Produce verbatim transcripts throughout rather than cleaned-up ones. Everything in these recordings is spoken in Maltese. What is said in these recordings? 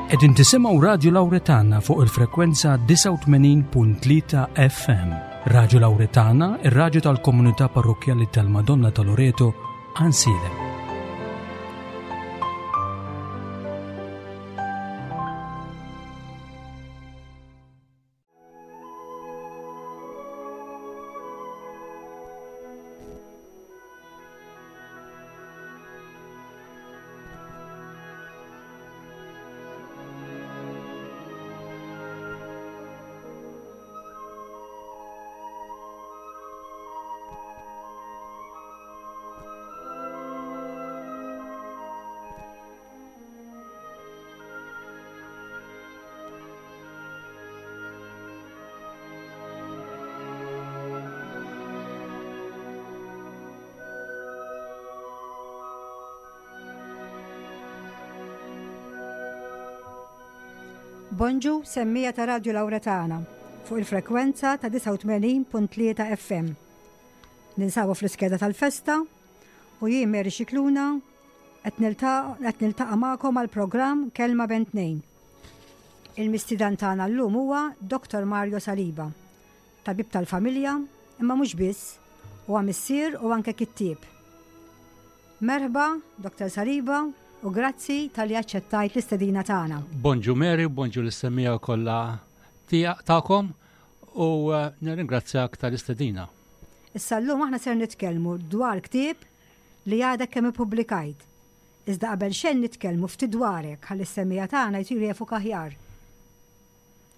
Qegħdin tisimgħu Radju Lawretana fuq il-frekwenza disgħa u tmenin punt tlieta F M. Radju Lawretana, ir-radju tal-Komunità Parrokkjali tal-Madonna ta' Loreto, Għajnsielem. Bonġu, semmiegħa ta' Radio Lawretana fuq il-frekwenza ta' disgħa u tmenin punt tlieta F M. Ninsabu fl-iskeda tal-festa u jien, Mary Xikluna, qed niltaqa' magħkom għal programm Kelma Bejn Tnejn. Il-mistieden tagħna llum huwa Doktor Mario Saliba, tabib tal-familja, imma mhux biss, huwa missier u anke kittieb. Merħba, Doktor Saliba, u grazzi talli aċċettajt l-istedina tagħna. Bonġu Mary, bonġu lis-semmiegħa kollha tagħkom u eh, nirringrazzjak tal-istedina. Issa llum aħna ser nitkellmu dwar ktieb li għadek kemm ippubblikajt. Iżda qabel xejn nitkellmu ftit dwarek ħalli s-semmiegħa tagħna jsiru jafuk aħjar.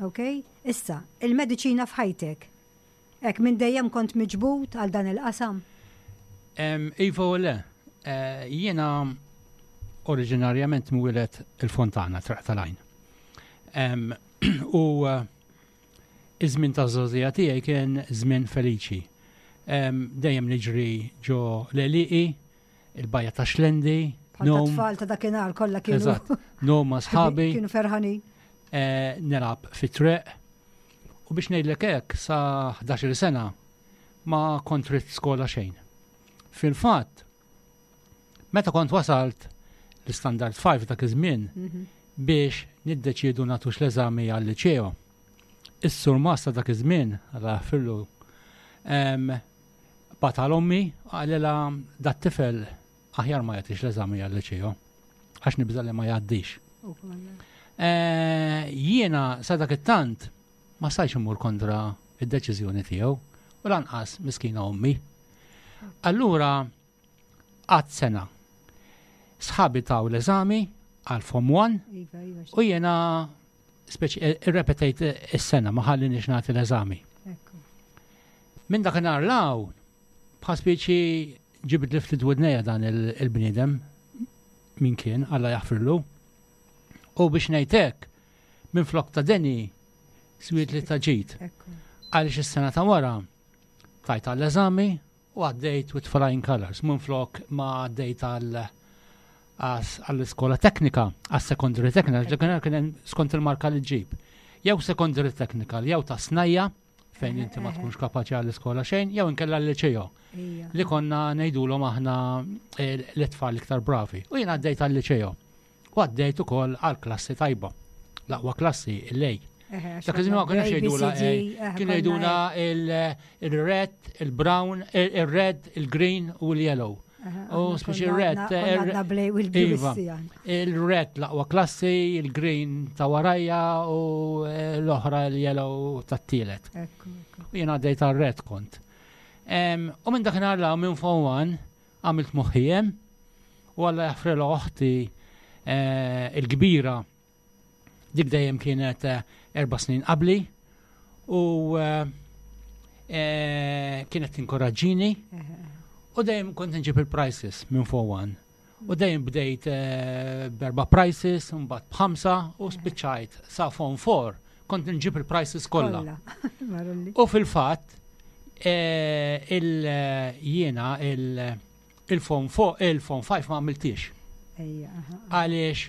Ok? Issa, il-mediċina f'ħajtek. Ek minn dejjem kont miġbud għal dan il-qasam? Iva u le, eh, jiena oriġinarjament mwieled il-Fontana, Triq tal-Għajn. U eh, iż-żmien ta' żgħożija tiegħi kien żmien feliċi. Dejjem niġri ġo l-għelieqi, il-bajja ta' Xlendi. Tfal ta' dakinhar kollha kienu. Eżatt, ngħum ma' sħabi. Kienu ferħanin. Eh, nilgħab fit-triq. U biex ngħidlek hekk, sa ħdax-il sena ma kont ridt skola xejn. Fil-fatt, meta kont wasalt l-Standard five dak iż-żmien mhm. biex niddeċiedu nagħtux l-eżami għal-liċeo. Is-surmast ta' dak iż-żmien, Alla jaħfirlu, bagħat għal ommi, qalilha, "Dat-tifel aħjar ma jagħtix l-eżami għal-liċeo għax nibża li ma jgħaddix." Eh, jiena sa dak it-tant ma stajtx immur kontra id-deċiżjoni tiegħu u lanqas miskina ommi. Allura għad sena sħabi taw l-eżami għal Form one iva, iva, u jena speċi eh, irrepetejt is-sena, ma ħallinix nagħti l-eżami. Minn dakinhar 'l hawn bħal speċi ġibed li ftit widnejja dan il-bniedem min kien, Alla jaħfirlu. U biex ngħidlek, minn flok ta' deni swiet li ta' ġid. Għaliex is-sena ta' wara tajt għall-eżami u għaddejt with flying colors. Minn flok ma għaddejt għal għall-iskola teknika, għas-secondary technical, ġekenar kien skont il-marka li ġib. Jew secondary technical, jew ta' snajja, fejn inti ma tkunx kapaċi għall-iskola xejn, jew inkella l-liċeo. Li konna ngħidulhom aħna eh, l-tfal iktar bravi. U jien għaddejt għall-liċeo. U għaddejt ukoll għall-klassi tajba. L-aqwa klassi, il-A. Dak iż-żmien ma kienx jgħidula, kienu jgħidula il-red, il-brown, il-red, il-green u l-yellow. U speċi il-red. Iva, il-red l-aqwa klassi, il-green ta' warajja u eh, l-oħra l-yellow tat-tielet. U jien għaddejt għal-red kont. U minn dakinhar 'l hawn, minn Form one għamilt moħħi hemm u Alla jaħfrilha oħti eh, il-kbira, dik dejjem kienet eh, erba' snin qabli u kienet tinkoraġġini u dejjem kont nġib il-prizes minn Form one. U dejjem bdejt eh, b'erba' prizes, mbagħad b'ħamsa u spiċċajt sa Form four kont nġib il-prizes kollha. U fil-fatt eh, il-jiena il-Form il-Form five ma għamiltix. Għaliex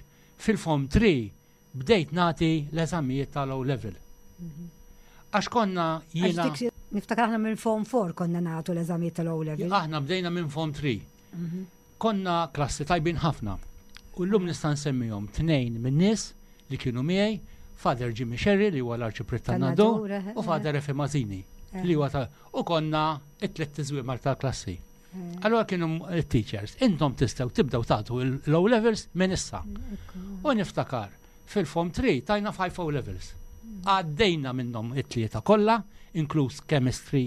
fil-Form three bdejt nagħti l-eżamijiet tal-O level. Mhm. Għax konna jiena. Niftakar aħna minn Form four konna nagħtu l-eżamijiet tal-O level. Aħna bdejna minn Form three. Mhm. Konna klassi tajbin ħafna. U llum nista' nsemmihom tnejn minn nies li kienu miegħi, Father Jimmy Sherry li huwa l-arċipriet tan-Nadur u Father Efi Mazini li huwa ta' u konna it-tliet tiżwimar tal-klassi. Allora kienu teachers, intom tistgħu tibdew tagħtu l-O levels minn issa. U niftakar fil-Form three tajna five O levels. Għaddejna minnhom it-tlieta kollha, inkluż chemistry,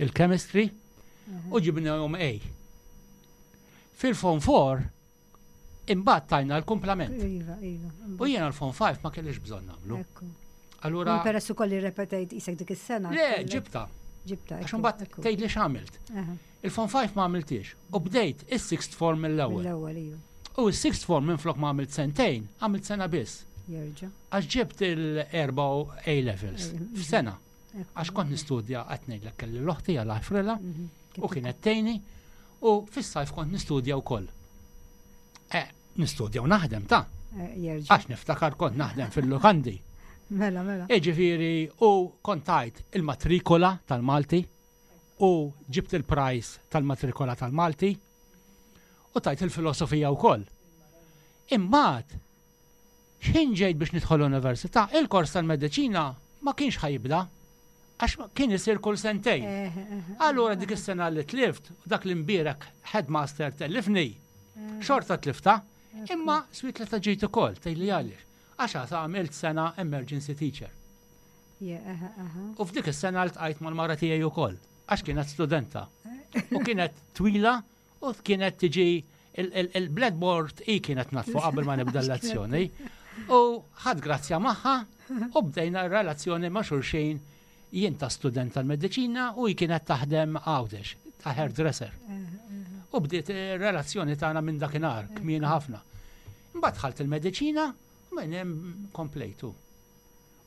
il-chemistry, u ġibnahom A. Fil-Form four imbagħad tajna l-kumplament. Iva, iva. U jiena l-Form five ma kellix bżonn nagħmlu. Allura peress ukoll li repetejt isek dik is-sena. Le, ġibta. Ġibta. Għax imbagħad tgħid li x'għamilt. Il-Form five ma għamiltiex. U bdejt is-sixth form mill-ewwel. Mill-ewwel, iva. U s-sixth form minflok ma għamilt sentejn, għamilt sena biss. Jerġa'. Għax ġibt il-erba' A levels f'sena. Għax kont nistudja qed ngħidlek kelli l-oħti għal ħfrila u kienet tgħinni u fis-sajf kont nistudja wkoll. Eh, nistudja u naħdem ta'. Jerġa'. Għax niftakar kont naħdem fil-lukandi. Mela, mela. Iġifieri u kont tajt il-matrikola tal-Malti u ġibt il-prize tal-matrikola tal-Malti u tajt il-filosofija wkoll. Imbagħad x'ħin ġejt biex nidħol l-università, il-kors tal-mediċina ma kienx ħajibda għax kien isir kull sentejn. Allura dik is-sena li tlift, u dak l-imbierek headmaster tellifni, xorta tlifta, imma swit li ġejt ukoll, tgħidli għaliex. Għax għasa għamilt sena emergency teacher. U f'dik is-sena ltqajt mal-mara tiegħi wkoll, għax kienet studenta. U kienet twila u kienet tiġi il-blackboard i kienet natfu qabel ma nibda l-lezzjoni. U ħadd grazzja magħha u bdejna r-relazzjoni ma' xulxin, jien ta' student tal-mediċina u hi kienet taħdem Għawdex, ta' hairdresser. U bdiet ir-relazzjoni tagħna minn dakinhar, kmieni ħafna. Imbagħad dħalt il-mediċina u minn hemm komplejtu.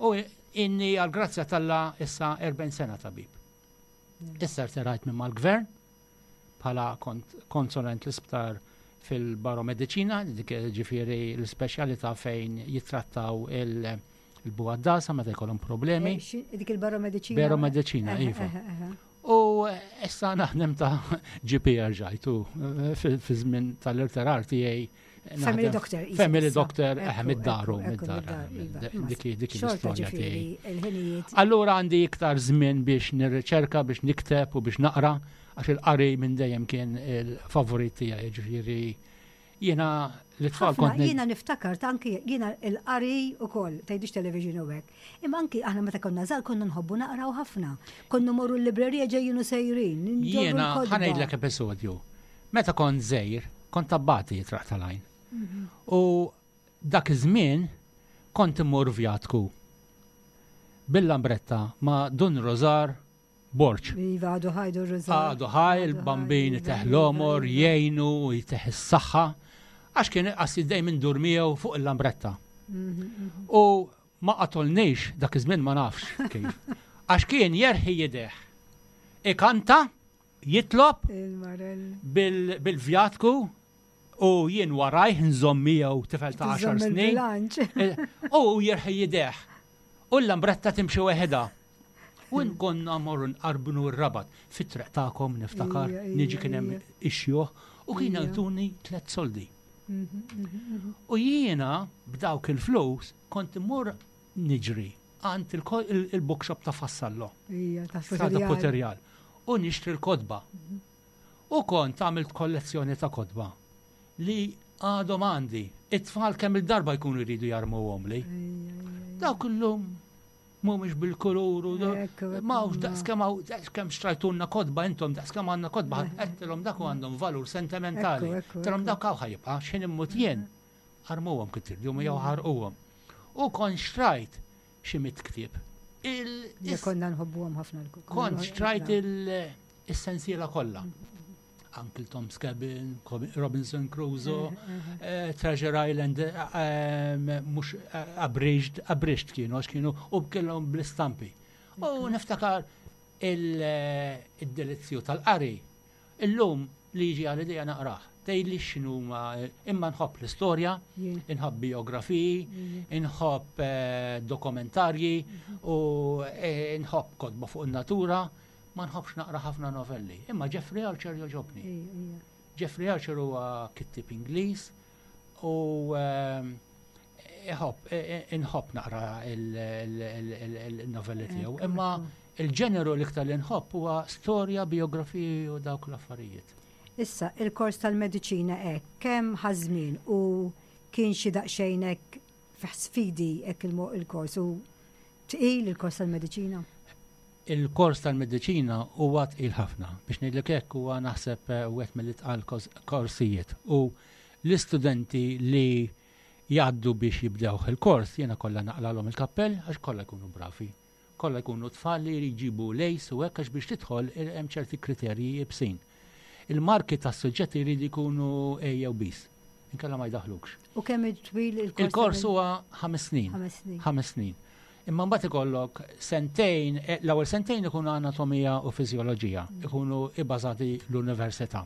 U inni għal-grazzja t'Alla issa erbgħin sena tabib. Issa rtirajt minn mal-gvern bħala konsulent l-isptar fil-baromediċina, dik ġifieri l-speċjalità fejn jittrattaw il-bugħaddasa meta jkollhom problemi. Dik il-baromediċina? Baromediċina, iva. U issa naħdem ta' G P rġajtu fi żmien tal-irtirar tiegħi. Family doctor. Family doctor, eh, mid-daru, mid-dar. Dik dik l-istorja tiegħi. Allura għandi iktar żmien biex nirriċerka, biex nikteb u biex naqra, għax il-qari minn dejjem kien il-favorit tiegħi, ġifieri jiena l-tfal kont. Jiena niftakar ta' anki jiena il-qari ukoll, tgħidix television u hekk. Imma anki aħna meta konna żgħar konna nħobbu naqraw ħafna. Konna morru l-librerija ġejjin u sejrin. Jiena ħa ngħidlek episodju. Meta kont żgħir, kont abbati jitraq tal-għajn. Mhm. U dak iż-żmien kont immur vjatku bil-lambretta ma' Dun Rosar Borġ. Iva, għadu ħaj Dun Rosar. Għadu ħaj, il-bambin jtih l-għomor, jgħinu, jtih is-saħħa. Għax kien qassi dejjem indur miegħu fuq il-lambretta. Mhm, mhm. U ma qatolniex dak iż-żmien, ma nafx kif. Għax kien jerħi jideh. Ikanta, jitlob bil-vjatku u jien warajh nżomm miegħu, tifel ta' għaxar snin. Eh, u jerħi jideh. U l-lambretta timxi weħeda. U konna morru nqarbnu r-Rabat. Fit-triq tagħkom niftakar, niġi kien hemm ix-xjuħ u kien jagħtuni tliet soldi. Mhm, mhm, mhm. U jiena b'dawk il-flus kont immur niġri għand il-bookshop ta' Fassallo. Ta' Puterjal. U nixtri l-kotba. U kont għamilt kollezzjoni ta' kotba li għadhom għandi. It-tfal kemm il-darba jkunu jridu jarmuhom li. Dawk illum mhumiex bil-kulur u ma hux daqskemm daqskemm xtrajtulna kotba intom, daqskemm għandna kotba, għedtilhom dak għandhom valur sentimentali. Għedtilhom dak hawn ħa jibqa', x'ħin immut jien. Armuhom kif tridu jew ħarquhom. U kont xtrajt xi mitt ktieb. Konna nħobbuhom ħafna. Kont xtrajt il-sensiela kollha. Uncle Tom's Cabin, Robinson Crusoe, eh, Treasure Island, eh, mhux abridged, abridged kienu, għax kienu u kellhom bl-istampi. U niftakar il-delizzju tal-qari. Illum li jiġi għal idea naqrah. Tgħidli x'inhuma, imma nħobb l-istorja, inħobb biografiji, inħobb eh, dokumentarji u nħobb kotba fuq in-natura, ma nħobbx naqra ħafna novelli. Imma Jeffrey Archer jogħġobni. Jeffrey Archer huwa kittib Ingliż u ehm, Iħobb, inħobb naqra il-novelli tiegħu, imma il-ġeneru l-iktar li nħobb huwa storja, biografiji u dawk l-affarijiet. Issa, il-kors tal-mediċina hekk, kemm ħa żmien u kien xi daqsxejn hekk sfidi hekk il-kors u tqil il-kors tal-mediċina? Il-kors tal-mediċina huwa tqil ħafna. Biex ngħidlek hekk, huwa naħseb wieħed mill-itqal korsijiet. U l-istudenti li jgħaddu biex jibdew il-kors, jiena kollha naqlalhom il-kappell għax kollha jkunu bravi. Kollha jkunu tfal li jġibu lejs u hekk, għax biex tidħol hemm ċerti kriterji iebsin. Il-marki tas-suġġetti jridu jkunu A jew Bs. Inkella ma jdaħlukx. U kemm twil il-kors? Il-kors huwa ħames snin. Ħames snin. Ħames snin. Imma mbagħad ikollok sentejn, eh, l-ewwel sentejn ikunu anatomija u fiżjoloġija, ikunu ibbażati l-università.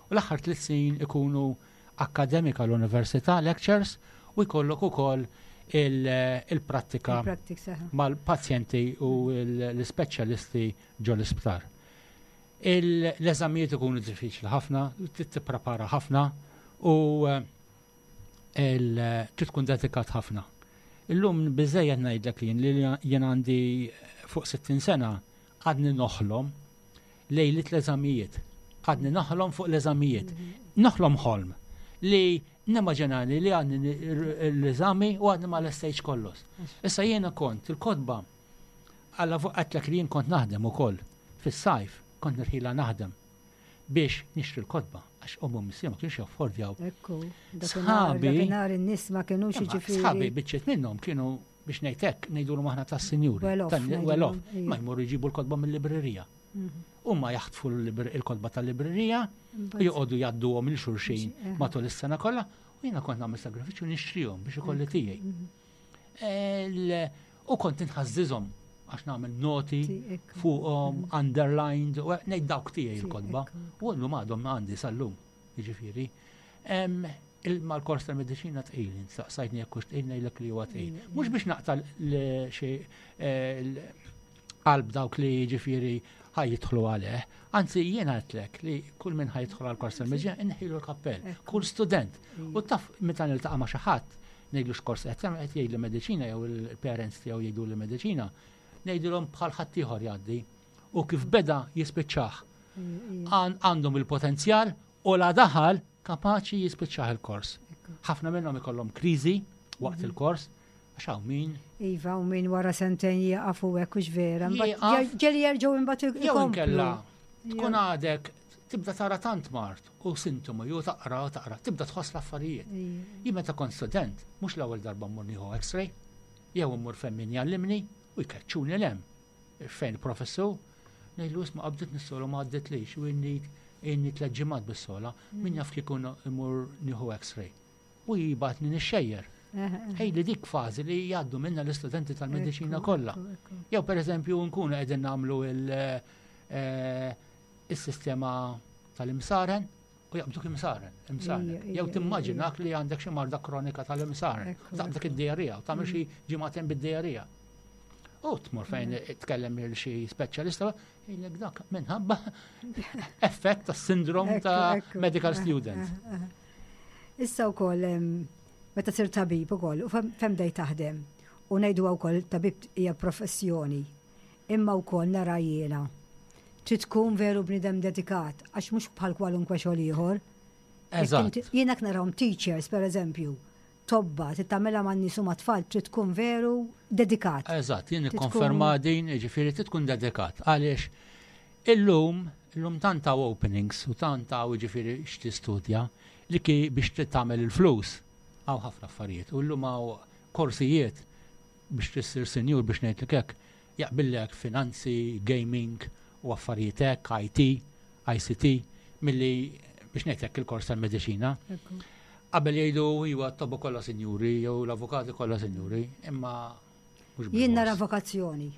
U l-aħħar tliet snin ikunu akkademika l-università, lectures, u jkollok ukoll il-prattika mal-pazjenti u l-speċjalisti ġo l-isptar. L-eżamijiet ikunu diffiċli ħafna, trid tipprepara ħafna u eh, trid tkun dedikat ħafna. Illum biżejjed ngħidlek li jien għandi fuq sittin sena, għadni noħlom lejlit l-eżamijiet. Għadni noħlom fuq l-eżamijiet. Noħlom ħolm li nimmaġinani li għadni l-eżami u għadni ma lestejtx kollox. Issa jiena kont il-kotba għalla fuq għedtlek li jien kont naħdem ukoll fis-sajf, kont nirħila naħdem biex nixtri l-kotba, għax ommi u missieri ma kienux jaffordjaw. Ekku, sħabi. Dakinhar in-nies ma kienux jiġifieri. Sħabi biċċiet minnhom kienu, biex ngħidlek, ngħidulhom aħna tas-sinjuri. Well off. Ma jmorru jġibu l-kotba mill-librerija. Mhm. Huma jaħtfu l-kotba tal-librerija u joqogħdu jgħadduhom lil xulxin eh. matul is-sena kollha, u jiena kont nagħmel sagrifiċċju nixtrihom biex ikolli tiegħi. Mhm. U kont inħażżiżhom għax nagħmel noti fuqhom, mhm. underlined, u ngħid dawk tiegħi l-kotba. U llum għadhom għandi sal-lum, jiġifieri. Mal-kors tal-mediċina tqil, saqsajtni jekk hux tqil, ngħidlek li huwa tqil. Mhux biex naqta' xi qalb dawk li jiġifieri ħa jidħlu għalih. Anzi, jiena għedtlek li kull min ħa jidħol għal kors tal-mediċina inneħħilu l-kappell, kull student. U taf meta niltaqa' ma' xi ħadd, ngħidlu x'kors qed tagħmel, qed jgħidli mediċina jew il-parents tiegħu jgħidu li mediċina, ngħidilhom bħal ħaddieħor jgħaddi. U kif beda jispiċċah. Għandhom il-potenzjal u la daħal kapaċi jispiċċah il-kors. Ħafna minnhom ikollhom kriżi waqt mhm. il-kors, għax hawn min. Iva, u min wara sentejn jieqaf u hekk, hux vera. Ġieli jerġgħu imbagħad. Jew inkella tkun għadek tibda tara tant mard u sintomi u taqra u taqra, tibda tħoss l-affarijiet. Jien meta kont student, mhux l-ewwel darba mmur nieħu X-ray, jew mmur fejn min jgħallimni u jkeċċuni 'l hemm. Fejn il-professur, ngħidlu, "Isma', qabditni s-sogħla, ma għadditlix u inni inni tliet ġimgħat bis-sogħla, min jaf kieku mmur nieħu X-ray." U jibgħatni nixxejjer. Ej li dik fażi li jgħaddu minna l-istudenti tal-mediċina kollha. Jew per eżempju nkunu qegħdin nagħmlu eh, il-sistema tal-imsaren u jaqbduk imsaren, imsaren. Jew timmaġinak li għandek xi marda kronika tal-imsaren, taqbdak id-diarrea u tagħmel xi ġimagħtejn bid-diarrea. U tmur fejn tkellem lil xi speċjalista, jgħidlek dak minħabba effett ta' sindrom ta' medical student. Issa wkoll meta sir tabib ukoll u fejn bdejt taħdem u ngħidu wkoll tabib hija professjoni, imma wkoll nara jiena trid tkun veru bniedem dedikat, għax mhux bħal kwalunkwe xogħol ieħor. Eżatt. Jiena narahom teachers, per eżempju, tobba, trid tagħmilha man-nies u mat-tfal, trid tkun veru dedikat. Eżatt, jien nikkonferma din, ġifieri trid tkun dedikat. Għaliex illum, illum tant hawn openings u tant hawn ġifieri x'tistudja li ki biex trid tagħmel il-flus hawn ħafna affarijiet. U llum hawn korsijiet biex tissir senjur, biex ngħidlek hekk, jaqbillek finanzi, gaming u affarijiet hekk, I T, I C T, milli biex ngħidlek il-kors tal-mediċina. Qabel jgħidu iwa t-tobba kollha sinjuri jew l-avukati kollha sinjuri, imma mhux Jien nara bil-mors. Vokazzjoni.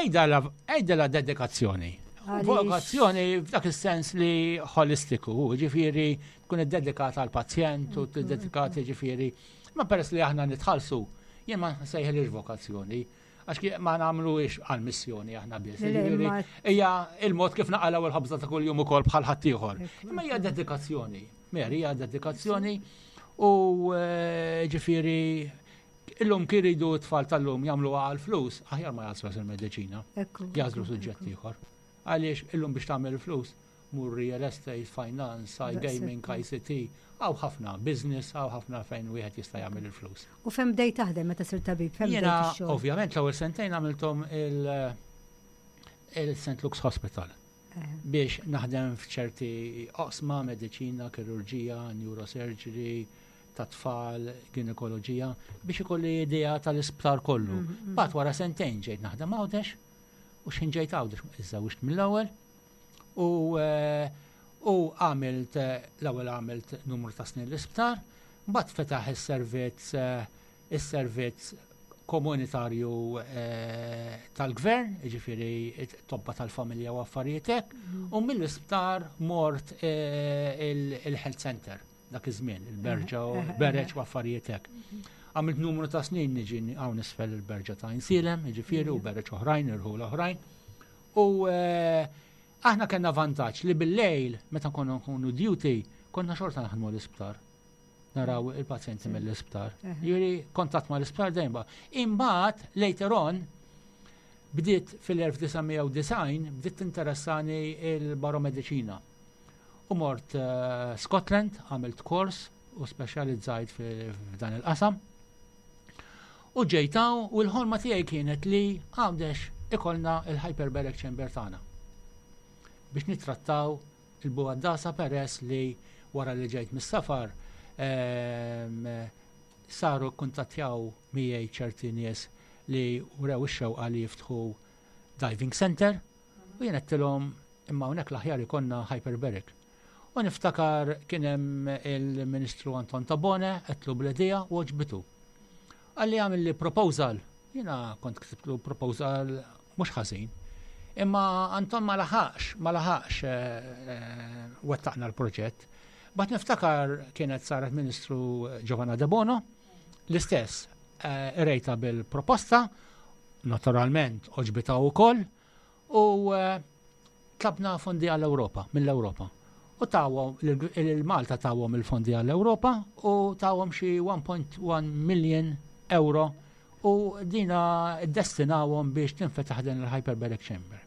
Ejda la, ejda la dedikazzjoni. Għaliex- Vokazzjoni f'dak is-sens li holistiku, ġifieri tkun iddedikata għal pazjent u dedikata ġifieri. Ma peress li aħna nitħallsu, jien ma nsejħilix vokazzjoni, għax ki- ma nagħmluhiex għal missjoni aħna biss. Le, le, Ġifieri, ma- hija il-mod kif naqalgħu il-ħobża ta' kuljum ukoll bħal ħaddieħor. Ekku, Imma hija dedikazzjoni. Mary, hija dedikazzjoni. U eh, ġifieri, illum kif iridu t-tfal tal-lum jagħmlu għal flus, aħjar ma jagħżlu il-mediċina, jagħżlu suġġett ieħor. Għaliex illum biex tagħmel flus, mur real estate, finance, iGaming, I C T, hawn ħafna business, hawn ħafna fejn wieħed jista' jagħmel il-flus. U fejn bdejt taħdem meta sirt tabib? Fejn Jiena, ovvjament, l-ewwel sentejn għamilthom il-Saint Luke's Hospital eh. biex naħdem f'ċerti oqsma, mediċina, kirurġija, neurosurgery, ta' tfal, ginekoloġija, biex ikolli idea tal-isptar kollu. Mm, mm. But wara sentejn ġejt naħdem Għawdex, u x'ħin ġejt Għawdex, iżżewwiġt mill-ewwel, u eh, u għamilt, l-ewwel għamilt numru ta' snin l-isptar, mbagħad fetaħ is-servizz eh, is-servizz komunitarju eh, tal-gvern, ġifieri tobba tal-familja u affarijiet hekk, mm. u mill-isptar mort il-health center dak iż-żmien, il-Berġa u Bereġ u affarijiet hekk. Għamilt numru ta' snin niġi hawn isfel il-Berġa ta' Għajnsielem, ġifieri u Bereġ oħrajn, irħul oħrajn. U eh, aħna kellna vantaġġ li bil-lejl, meta konna nkunu duty, konna xorta naħdmu l-isptar. Naraw il-pazjenti mill-isptar. Jiġifieri, kontatt ma l-isptar dejjem. Imbagħad, later on, bdiet fil-elf disa' mija u disgħin bdiet interessani il-baromediċina. U mort uh, Scotland, għamilt kors u speċjalizzajt f'dan il-qasam. U ġejt hawn u l-ħolma tiegħi kienet li Għawdex ikollna il-hyperbaric chamber tagħna biex nittrattaw il-bugħaddasa, peress li wara li ġejt mis-safar ehm, saru kuntattjaw miegħi ċerti nies li wrew ix-xewqa li jiftħu diving center u jien għedtilhom imma hawnhekk l-aħjar ikollna hyperbaric. U niftakar kien hemm il-Ministru Anton Tabone, għedtlu bl-idea u għoġbitu. Qalli għamilli proposal, jiena kont ktibtlu proposal mhux ħażin. Imma Anton ma laħaqx, ma laħaqx eh, eh, wettaqna l-proġett. But niftakar kienet saret Ministru Giovanna Debono, l-istess eh, rejta bil-proposta, naturalment għoġbitha wkoll, u tlabna fondi għall-Europa, mill-Europa. U tawhom, il-Malta tawhom il-fondi għall-Europa u tawhom xi one point one million euro u dina destinawhom biex tinfetaħ din il-Hyperbaric Chamber.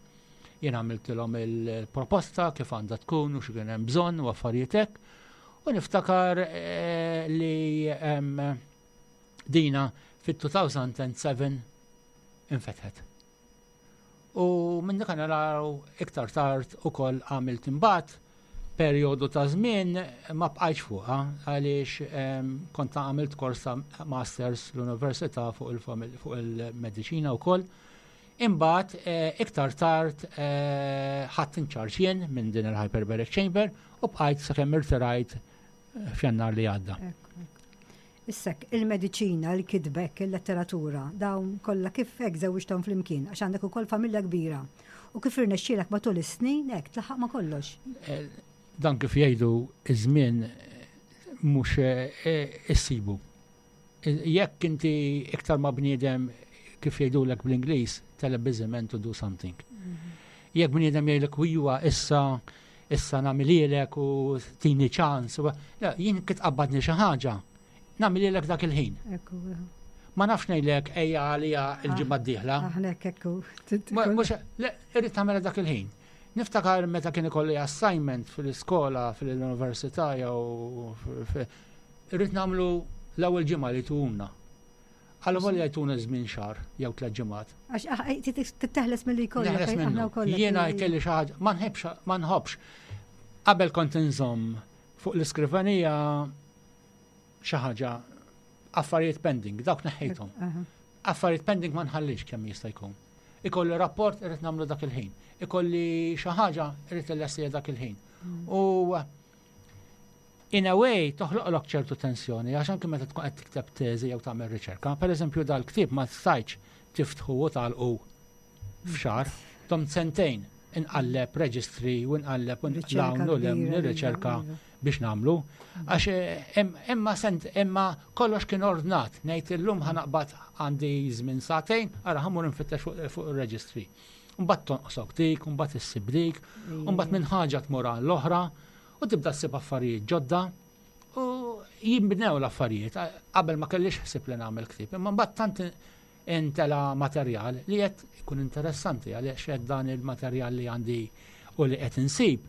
Jien għamiltilhom il-proposta kif għandha tkun u x'kien hemm bżonn u affarijiet hekk. U niftakar eh, li dina fit-elfejn u sebgħa infetħet. U minn dak naraw iktar tard ukoll għamilt imbagħad perjodu ta' żmien ma bqajtx fuqha għaliex kont għamilt korsa masters l-università fuq il-mediċina wkoll. Imbagħad eh, iktar tard eh, ħadt in charge jien minn din il-Hyperbaric Chamber u bqajt sakemm irtirajt eh, f'Jannar li għadda. Issa, il-mediċina, il-kitba, il-letteratura, dawn kollha kif hekk żewġthom flimkien, għax għandek ukoll familja kbira. U kif irnexxielek matul is-snin hekk tlaħħaq ma' kollox? Dan kif jgħidu, iż-żmien mhux eh, issibu. Jekk inti iktar ma bniedem, kif jgħidulek bl-Ingliż, "tell a busy man to do something". Mhm. Jekk bniedem jgħidlek huwa issa issa nagħmilhielek u tini ċans, jien kif tqabbadni xi ħaġa, nagħmilhielek dak il-ħin. Ma nafx ngħidlek ejja għalija il-ġimgħa d-dieħla. Mhux, irrid tagħmilha dak il-ħin. Niftakar meta kien ikolli assignment fil-iskola, fil-università jew irrid nagħmlu l-ewwel ġimgħa li tuna. Għallu volja jtuna żmien xahar jew tliet ġimgħat. Għax ah, titteħles milli jkollok. Neħles minnu. Jiena jkelli xi ħaġa, ma nħobbx, ma nħobbx. Qabel kont inżomm fuq l-iskrivanija xi ħaġa affarijiet pending, dawk neħħejthom. Affarijiet pending ma nħallix kemm jista' jkun. Ikolli rapport, irrid nagħmlu dak il-ħin. Ikolli xi ħaġa, irrid illestija dak il-ħin. Mm. U in a way toħloqlok ċertu tensjoni għax anke meta tkun qed tikteb teżi jew tagħmel riċerka, pereżempju dal-ktieb ma stajtx tiftħu u tagħlqu f'xahar, domt sentejn inqalleb reġistri u nqalleb u nqlawn u lem nirriċerka biex nagħmlu. Għax eh, imma sent imma kollox kien ordnat, ngħid illum ħa naqbad, għandi żmien sagħtejn, ara ħa mmur nfittex fuq ir-reġistri. Mbagħad tonqosok dik, mbagħad issib dik, mbagħad minn ħaġa tmur għall-oħra u tibda ssib affarijiet ġodda u Jinbnew l-affarijiet, qabel ma kellix ħsieb li nagħmel ktieb, imma mbagħad tant intela materjal li qed ikun interessanti għaliex qed dan il-materjal li għandi u li qed insib.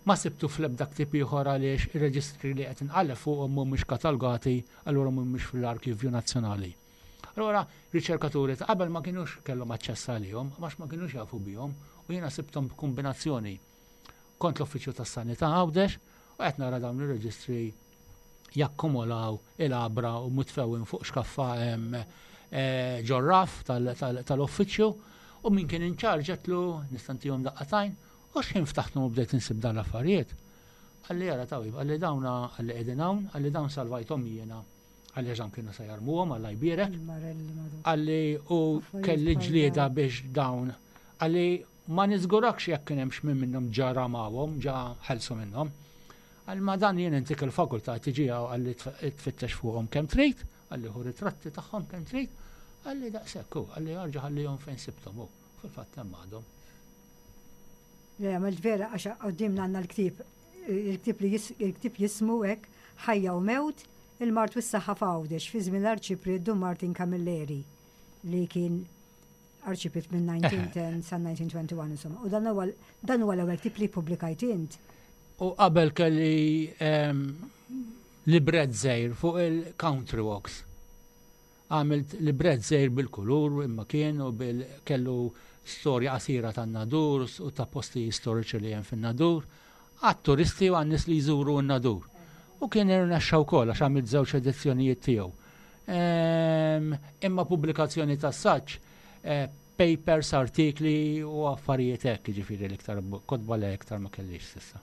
Ma sibtu fl-ebda ktieb ieħor għaliex ir-reġistri li qed inqalleb fuqhom mhumiex katalogati, allura mhumiex fl-Arkivju Nazzjonali. Allura riċerkaturi ta' qabel ma kienux kellhom aċċess għalihom, għax ma kienux jafu bihom, u jiena sibthom b'kombinazzjoni. Kont l-Uffiċċju tas-Sanità Għawdex u qed nara dawn ir-reġistri jakkumulaw il-għabra u mutfewin fuq xkaffa hemm eh, ġor-raff tal-uffiċċju u min kien in charge għedtlu nista' ntihom daqqa t'għajn u x'ħin ftaħthom u bdejt insib dan l-affarijiet. Qalli jara tawib, qalli dawna qalli qegħdin hawn, qalli dawn salvajthom jiena. Qalli għax kienu se jarmuhom Alla jbierek. Qalli u kelli ġlieda biex dawn. Qalli ma niżgurakx jekk kien hemm x'min minnhom ġa ramawhom, ġa ħelsu minnhom. Qalli ma dan jien intik il-fakultà tiġi hawn qalli tfittex fuqhom kemm trid, qalli ħu ritratti tagħhom kemm trid, qalli daqshekk hu, qalli arġa' ħallihom fejn sibthom hu. Fil-fatt hemm għadhom. Le, għamilt vera għax quddiemna għandna l-ktieb, il-ktieb li il-ktieb jismu hekk Ħajja u Mewt, il-Mard u s-Saħħa f'Għawdex fi żmien l-Arċipriet Dun Martin Camilleri li kien arċipriet minn elf disa' mija u għaxra sa elf disa' mija u wieħed u għoxrin insomma. U dan huwa dan huwa l-ewwel ktieb li ppubblikajt int. U qabel kelli libret żgħir fuq il-country walks. Għamilt libret żgħir bil-kulur imma kien u bil kellu storja qasira tan-Nadur u ta' posti storiċi li hemm fin-Nadur, għat-turisti u għan-nies li jżuru n-Nadur. U kien irnexxa wkoll għax għamilt żewġ edizzjonijiet tiegħu. Imma pubblikazzjoni ta' saċ, eh, papers, artikli u affarijiet hekk, ġifieri l-iktar kotba li iktar ma kellix s'issa.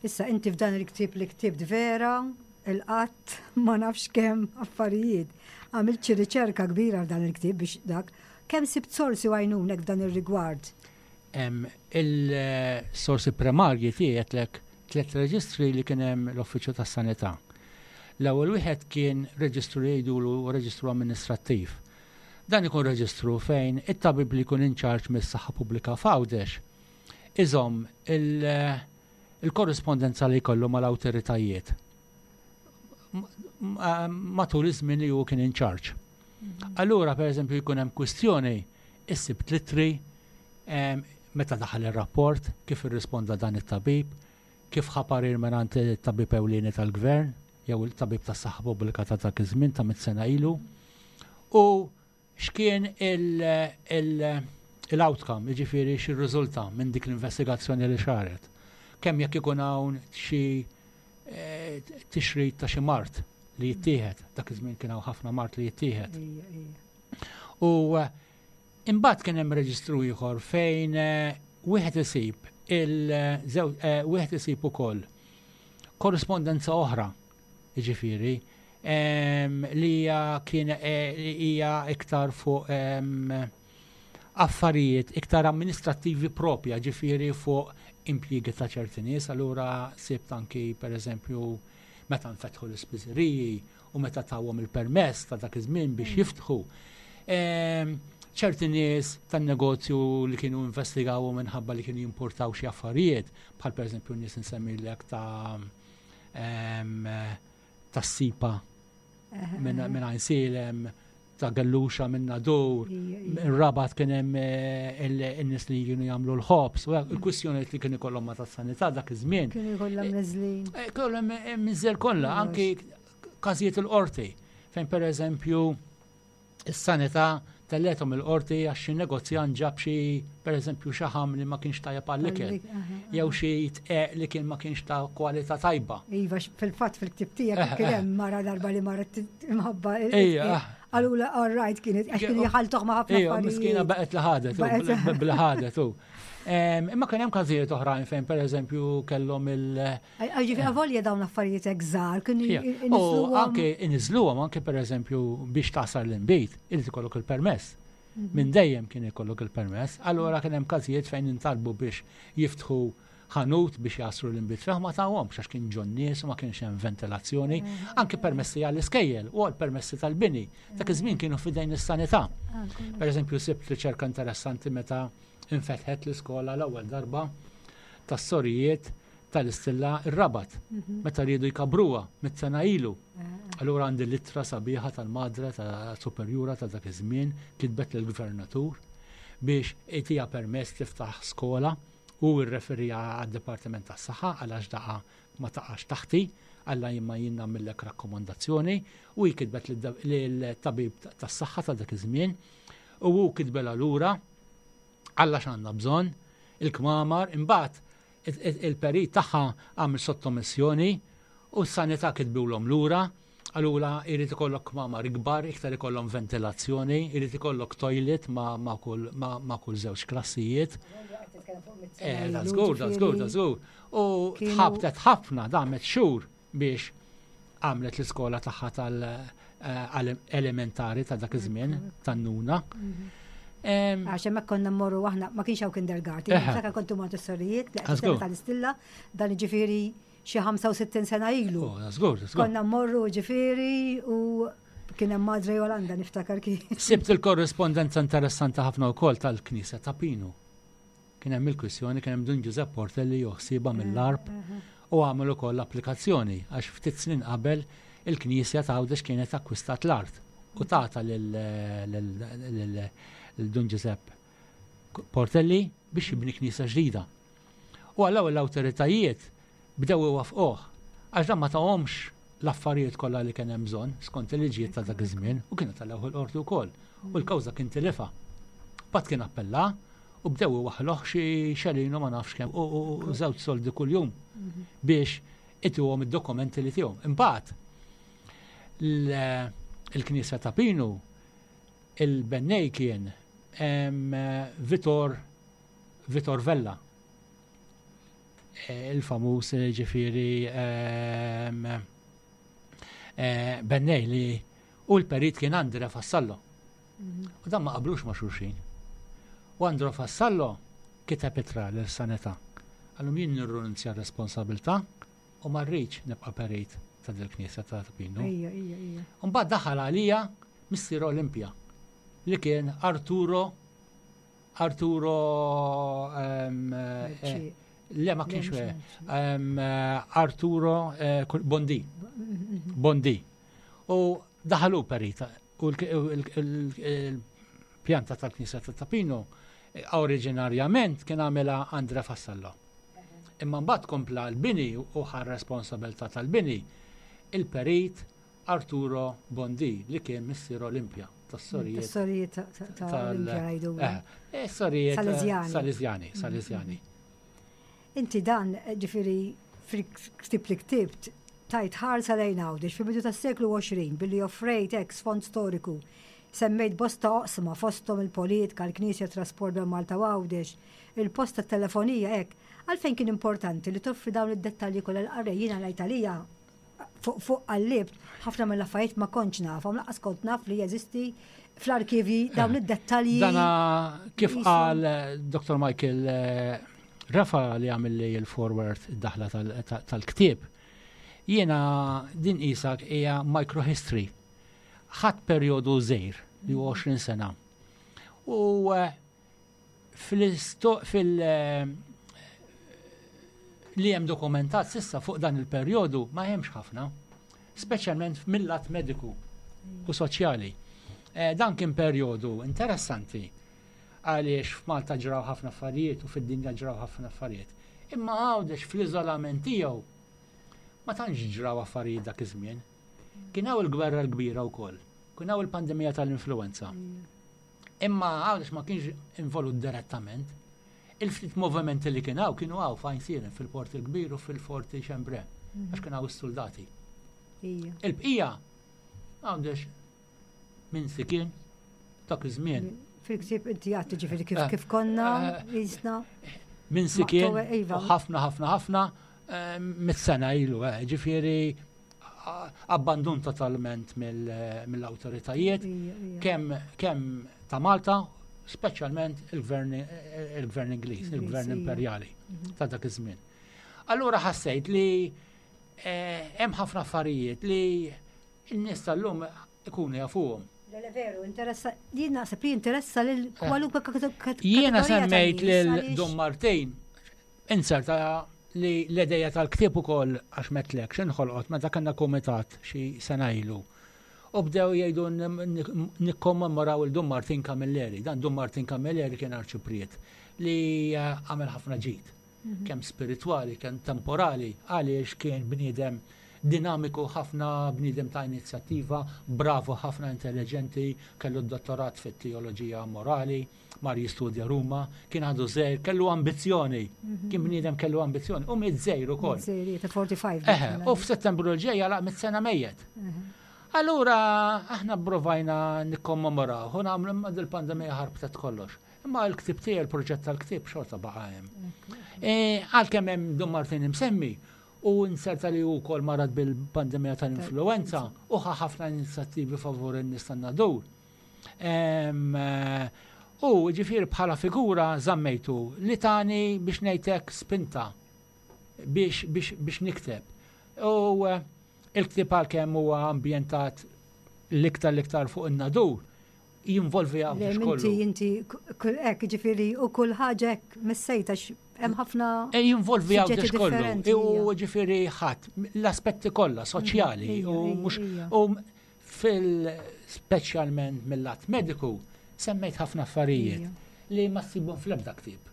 Issa inti f'dan il-ktieb li ktibt vera, il-qatt ma nafx kemm affarijiet. Għamilt xi riċerka kbira f'dan il-ktieb biex dak. Kemm sibt sorsi għajnunek f'dan ir-rigward? Il-sorsi primarji tiegħi għedtlek tliet reġistri li kien hemm l-Uffiċċju tas-Sanità. L-ewwel wieħed kien reġistru li jgħidulu reġistru amministrattiv. Dan ikun reġistru fejn it-tabib li jkun in charge mis-saħħa pubblika f'Għawdex iżomm il-korrispondenza li jkollu mal-awtoritajiet matul iż-żmien li hu kien in charge. Mhm. Allura, per eżempju, jkun hemm kwistjoni, issib l-ittri meta daħal ir-rapport, kif irrisponda dan it-tabib, kif ħa parir mingħand it-tabib ewlieni tal-gvern, jew il-tabib tas-saħħa pubblika ta' dak iż-żmien ta' mit sena ilu, u x'kien il-outcome, jiġifieri x'irriżulta minn dik l-investigazzjoni li saret. Kemm jekk ikun hawn xi eh, tixrid ta' xi mard li jittieħed, dak iż-żmien kien hawn ħafna mard li jittieħed. U eh, imbagħad kien hemm reġistru ieħor fejn eh, wieħed isib il wieħed isib ukoll korrispondenza oħra, jiġifieri, li hija kien hija iktar fuq affarijiet iktar amministrattivi propja, ġifieri fuq impjiegi ta' ċerti nies, allura sibt anki per eżempju meta nfetħu l-ispiżeriji u meta tawhom il-permess ta' dak iż-żmien biex mm. jiftħu. Ċerti nies tan-negozju li kienu investigaw minħabba li kienu jimportaw xi affarijiet, bħal per eżempju nies nsemmilek ta' tas-sipa minn Għajnsielem, ta' Gelluxa minn Nadur, ir-Rabat kien hemm eh, il-nies li kienu jagħmlu l-ħobż, u il-kwistjonijiet li kienu jkollhom ma' tas-sanità dak iż-żmien. Kienu jkollhom niżlin. Eh, kollhom miżel kollha, anki każijiet il-qorti, fejn per eżempju is-sanità tellgħethom il-qorti għax xi negozjant ġab xi pereżempju xaħam li ma kienx tajjeb għall-ikel jew xi tqeq li kien ma kienx ta' kwalità tajba. Iva, fil-fatt fil-ktieb tiegħek kien hemm mara darba li marret imħabba. Qalulha all right kienet għax kienu jħaltuh ma' ħafna affarijiet. Miskina baqgħet li ħadet, bli ħadet u. Imma kien hemm każijiet oħrajn fejn pereżempju kellhom il- Ġifieri avolja dawn affarijiet hekk żgħar kienu U anke iniżluhom anke pereżempju biex tagħsar l-inbid, irid ikollok il-permess. Mhm. Minn dejjem kien ikollok il-permess. Allura kien hemm każijiet fejn intalbu biex jiftħu ħanut biex jagħsru l-inbid fih ma tawhomx għax kien ġon nies u ma kienx hemm ventilazzjoni, mhm. anke permessi għall-iskejjel u għal permessi tal-bini. Dak iż-żmien kienu f'idejn is-sanità. Ah, per eżempju, sibt riċerka interessanti meta infetħet l-iskola l-ewwel darba tas-sorijiet tal-Istilla ir-Rabat, Mhm. meta riedu jkabruha mitt sena ilu. Eh, Allura għandi l-ittra sabiħa tal-madre ta' superjura ta' dak iż-żmien kitbet lill-gvernatur biex itiha permess tiftaħ skola u rreferija għad-Dipartiment tas-Saħħa għalax daqa ma taqax taħti, għalla jimma jien nagħmillek rakkomandazzjoni, u hi kitbet lill-tabib tas-saħħa ta' dak iż-żmien u hu kitbela lura għalla x'għandna bżonn il-kmamar, imbagħad il-perit tagħha għamel sottomissjoni u s-sanità kitbulhom lura, għalula jrid ikollok kmamar ikbar, iktar ikollhom ventilazzjoni, jrid ikollok toilet ma, ma, kull, ma, ma kull żewġ klassijiet. Eh, da żgur, da żgur, da żgur. U Kienu- tħabtet ħafna, damet xhur biex għamlet l-iskola tagħha tal-elementari ta' dak iż-żmien, tan-nuna. Em, Għax hemmhekk konna mmorru aħna, ma kienx hawn kindergarten, Eħe. niftakar kontu Montessorijiet, li Ah, żgur. tal-Istilla, dan ġifieri xi ħamsa u sittin sena ilu. Oh, da żgur, da żgur. Konna mmorru ġifieri u kien hemm Madre Jolanda, niftakar kien. Sibt il-korrespondenza interessanti ħafna wkoll tal-Knisja ta' Pinu. Kien hemm il-kwissjoni, kien hemm Dun Giuseppe Portelli joħsiba mill-arb u għamel ukoll applikazzjoni għax ftit snin qabel il-Knisja ta' Għawdex kienet akkwistat l-art u tata lil lil- lil Dun Giuseppe Portelli biex jibni knisja ġdida. U għallaw l-awtoritajiet bdew iwafquh għax dan ma tahomx l-affarijiet kollha li kien hemm bżonn skont il-liġijiet ta' dak iż-żmien u kienu tal-ewwel qorti wkoll. U l-kawża kien tilifha. Bat kien appella u bdew iwaħħluh xi xelinu ma nafx kemm u u- u żewġ soldi kuljum biex ituhom id-dokumenti li tihom. Imbagħad l- il-Knisja ta' Pinu, il-bennej kien em, Vitor Vitor Vella. Eh, il-famuż eh, ġifieri em, eh, bennej li u l-perit kien Andre Fassallo. U dan ma qablux ma' xulxin. U Andre Fassallo kiteb ittra l-sanità. Għallum jien nirrinunzja r-responsabilità u ma rridx nibqa' perit ta' dil-knisja ta' Pinu. Ija, ija, ija. Mbagħad daħal għalija Missier Olimpia li kien Arturo Arturo em, eh, Ċi- le, ma kienx Le, eh, mhux em, eh, Arturo eh, Bondi Bondi u daħalu perita u l-pjanta tal-Knisja ta' Tapino eh, oriġinarjament kien għamela Andrea Fassallo. Imma mbagħad kompla l-bini u ħa responsabilità tal-bini il-perit Arturo Bondi li kien missier Olimpia tas-sorijiet. Tas-sorijiet ta' ta' ta' tal- Olimpia ngħidu. Eh, eh, sorijiet eh, Salesjani. Salesjani, Salesjani. Inti dan, ġifieri, fil-ktib li ktibt, tajt ħarsa lejn Għawdex fi bidu tas-seklu għoxrin billi offrejt ex fond storiku. Semmejt bosta oqsma fosthom il-politika, l-Knisja, trasport bejn Malta u Għawdex, il-posta telefonija hekk. Għalfejn kien importanti li toffri dawn id-dettalji kollha l-qarrej? Jiena l-Italija fuq fuq qallibt ħafna mill-affarijiet ma kontx nafhom, lanqas kont naf li jeżisti fl-arkivi dawn id-dettalji. Dana kif Jisu- qal eh, Doktor Michael eh, Rafa li għamil li il-forward, id-daħla tal- ta- tal-ktieb, jiena din isak hija microhistory. Ħadd perjodu żgħir li huwa għoxrin sena. U eh, fil-isto- fil- eh, li hemm dokumentat sissa fuq dan il-perjodu ma hemmx ħafna, speċjalment mill-lat mediku u soċjali. Eh, dan kien perjodu interessanti għaliex f'Malta ġraw ħafna affarijiet u fid-dinja ġraw ħafna affarijiet. Imma Għawdex fl-iżolament tiegħu ma tantx ġraw affarijiet dak iż-żmien. Kien hawn il-gwerra l-kbira wkoll. Kien hawn il-pandemija tal-influenza. Imma Għawdex ma kienx involut direttament. Il-ftit movimenti li kien hawn kienu hawn f'Għajnsielem, fil-Port il-Kbir u fil-Forti Xembre, għax kien hawn is-soldati. Ija. Il-bqija Għawdex minn sikien dak iż-żmien. Fil-ktib inti għatti ġifieri kif Eh, kif konna eh, jisna. Minn sikien Maqtuwa, iva. u ħafna ħafna ħafna eh, mit-sena ilu, eh, ġifieri a- abbandun totalment mill- mill-awtoritajiet Ija, ija. kemm kemm ta' Malta, speċjalment il-gvern il-gvern Ingliż, il-gvern Ingliż, ija. imperjali ta' dak iż-żmien. Allura ħassejt li eh, hemm ħafna affarijiet li n-nies tal-lum ikunu jafuhom. Le, le, veru, interessa, jien naħseb li interessa lil kwalunkwe kategorija Jiena ta' semmejt nies, lil għaliex- Dun Martin, inserta li l-ideja tal-ktieb ukoll, għax metlek, x'inħolqot meta kellna kumitat xi sena ilu. U bdew jgħidu nikkommemoraw il Dun Martin Camilleri. Dan Dun Martin Camilleri kien arċipriet li eh, għamel ħafna ġid. Mhm. Kemm spiritwali, kemm temporali, għaliex kien bniedem dinamiku ħafna, bniedem ta' inizjattiva, bravo ħafna, intelligenti, kellu d-dottorat fit-teoloġija morali, mar jistudja Ruma, kien għadu żgħir, kellu ambizzjoni, mhm. kien bniedem kellu ambizzjoni, u miet żgħir ukoll. Żgħir, ta' erbgħa u Eħe, u f'Settembru l-ġej għalaq mitt sena mejjet. Mhm. Allura, aħna provajna nikkommemoraw, u nagħmlu, imma dil-pandemija ħarbtet kollox. Imma l-ktib tiegħi, il-proġett tal-ktib xorta baqa' hemm. E, għalkemm hemm Dun Martin imsemmi, u inserta li hu wkoll marad bil-pandemija tal-influenza u ħa ħafna inizjattivi favur in-nies tan-Nadur. U ġifieri bħala figura żammejtu li tani biex ngħidlek spinta biex, biex, biex nikteb. U eh, il-ktib għalkemm huwa ambjentat l-iktar l-iktar fuq in-Nadur, jinvolvi Għawdex kollu. Inti, inti, hekk, ġifieri, u kull ħaġa hekk missejta, hemm ħafna. E jinvolvi Għawdex kollu. U ġifieri ħadd l-aspetti kollha soċjali u mhux u fil speċjalment mill-lat mediku semmejt ħafna affarijiet li ma ssibhom fl-ebda ktieb.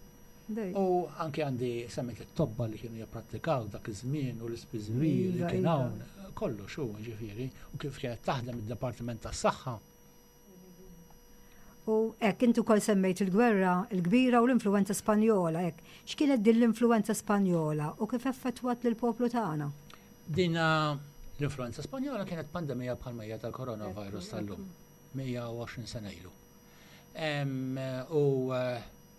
U anke għandi semmejt it-tobba li kienu jipprattikaw dak iż-żmien u l-ispiżeriji li kien hawn, kollox hu ġifieri, u kif kienet taħdem id-Dipartiment tas-Saħħa. U hekk, inti wkoll semmejt il-gwerra il-kbira u l-influenza Spanjola, hekk. X'kienet din l-influenza Spanjola u kif effettwat lill-poplu tagħna? Din l-influenza Spanjola kienet pandemija bħalma hija tal-coronavirus tal-lum, mija u għoxrin sena ilu. U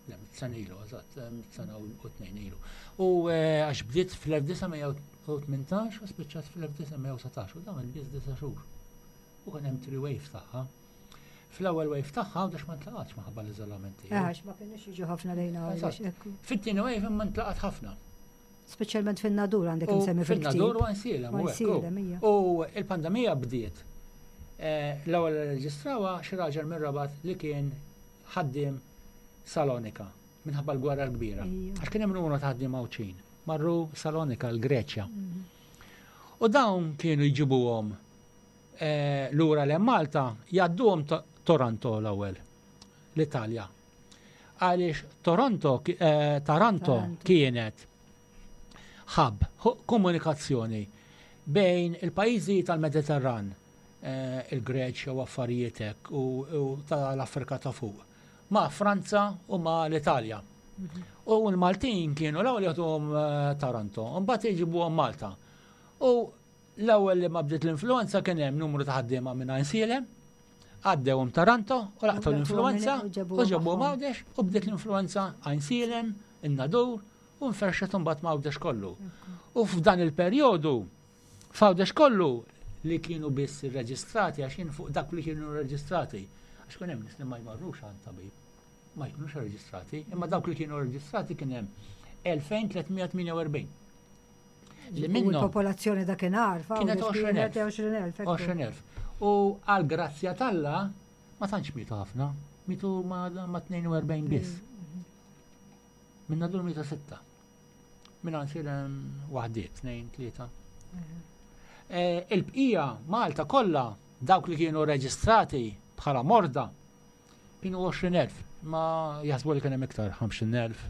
le, sena ilu, eżatt, sena u tnejn ilu. U eh, għax bdiet fl-elf disa' mija u tmintax u spiċċat fl-elf disa' mija u sbatax u dawn il-biss disa' xhur. U kien hemm three wave tagħha. Fl-ewwel wave tagħha Għawdex ma ntlaqatx minħabba l-iżolament. Għax ma kienux jiġu ħafna lejna. Fit-tieni wave ma ntlaqat ħafna. Speċjalment fin-Nadur għandek insemmi. Fin-Nadur u Għajnsielem. U il-pandemija bdiet. Eh, l-ewwel reġistrawha xi raġel mir-Rabat li kien ħaddiem Salonika minħabba l-gwerra l-kbira. Għax kien hemm numru ta' ħaddiema Għawdxin. Marru Salonika, l-Greċja. Mhm. U dawn kienu jġibuhom eh, lura l Malta, jgħadduhom Toronto l-ewwel, l-Italja. Għaliex Toronto, eh, Taranto kienet hub, komunikazzjoni bejn il-pajjiżi tal-Mediterran, eh, il-Greċja u affarijiet hekk u tal-Afrika ta' fuq, ma' Franza u ma' l-Italja. U l-Maltin kienu l-ewwel jagħtuhom eh, Taranto, u mbagħad jġibuhom Malta. U l-ewwel li ma bdiet l-influenza kien hemm numru ta' ħaddiema minn Għajnsielem, għaddewhom Taranto u laqtu l-influenza u ġabuhom Għawdex u bdiet l-influenza Għajnsielem, in-Nadur u nferxet mbagħad ma' Għawdex kollu. U f'dan il-perjodu f'Għawdex kollu li kienu biss irreġistrati, għax jien fuq dak li kienu rreġistrati, għax kien hemm nies li ma jmorrux għand tabib, ma jkunux reġistrati, imma dawk li kienu reġistrati kien hemm elfejn tliet mija tmienja u erbgħin. Li minnhom il-popolazzjoni dakinhar kienet għoxrin elf. għoxrin elf. U għal grazzja t'Alla ma tantx mietu ħafna, mietu ma tnejn u erbgħin biss. Minn Nadur mietu sitta. Minn Għajnsielem waħdiet, tnejn, tlieta. Eh, il-bqija Malta kollha, dawk li kienu reġistrati bħala morda kienu għoxrin elf, ma jaħsbu li kien hemm iktar, ħamsin elf.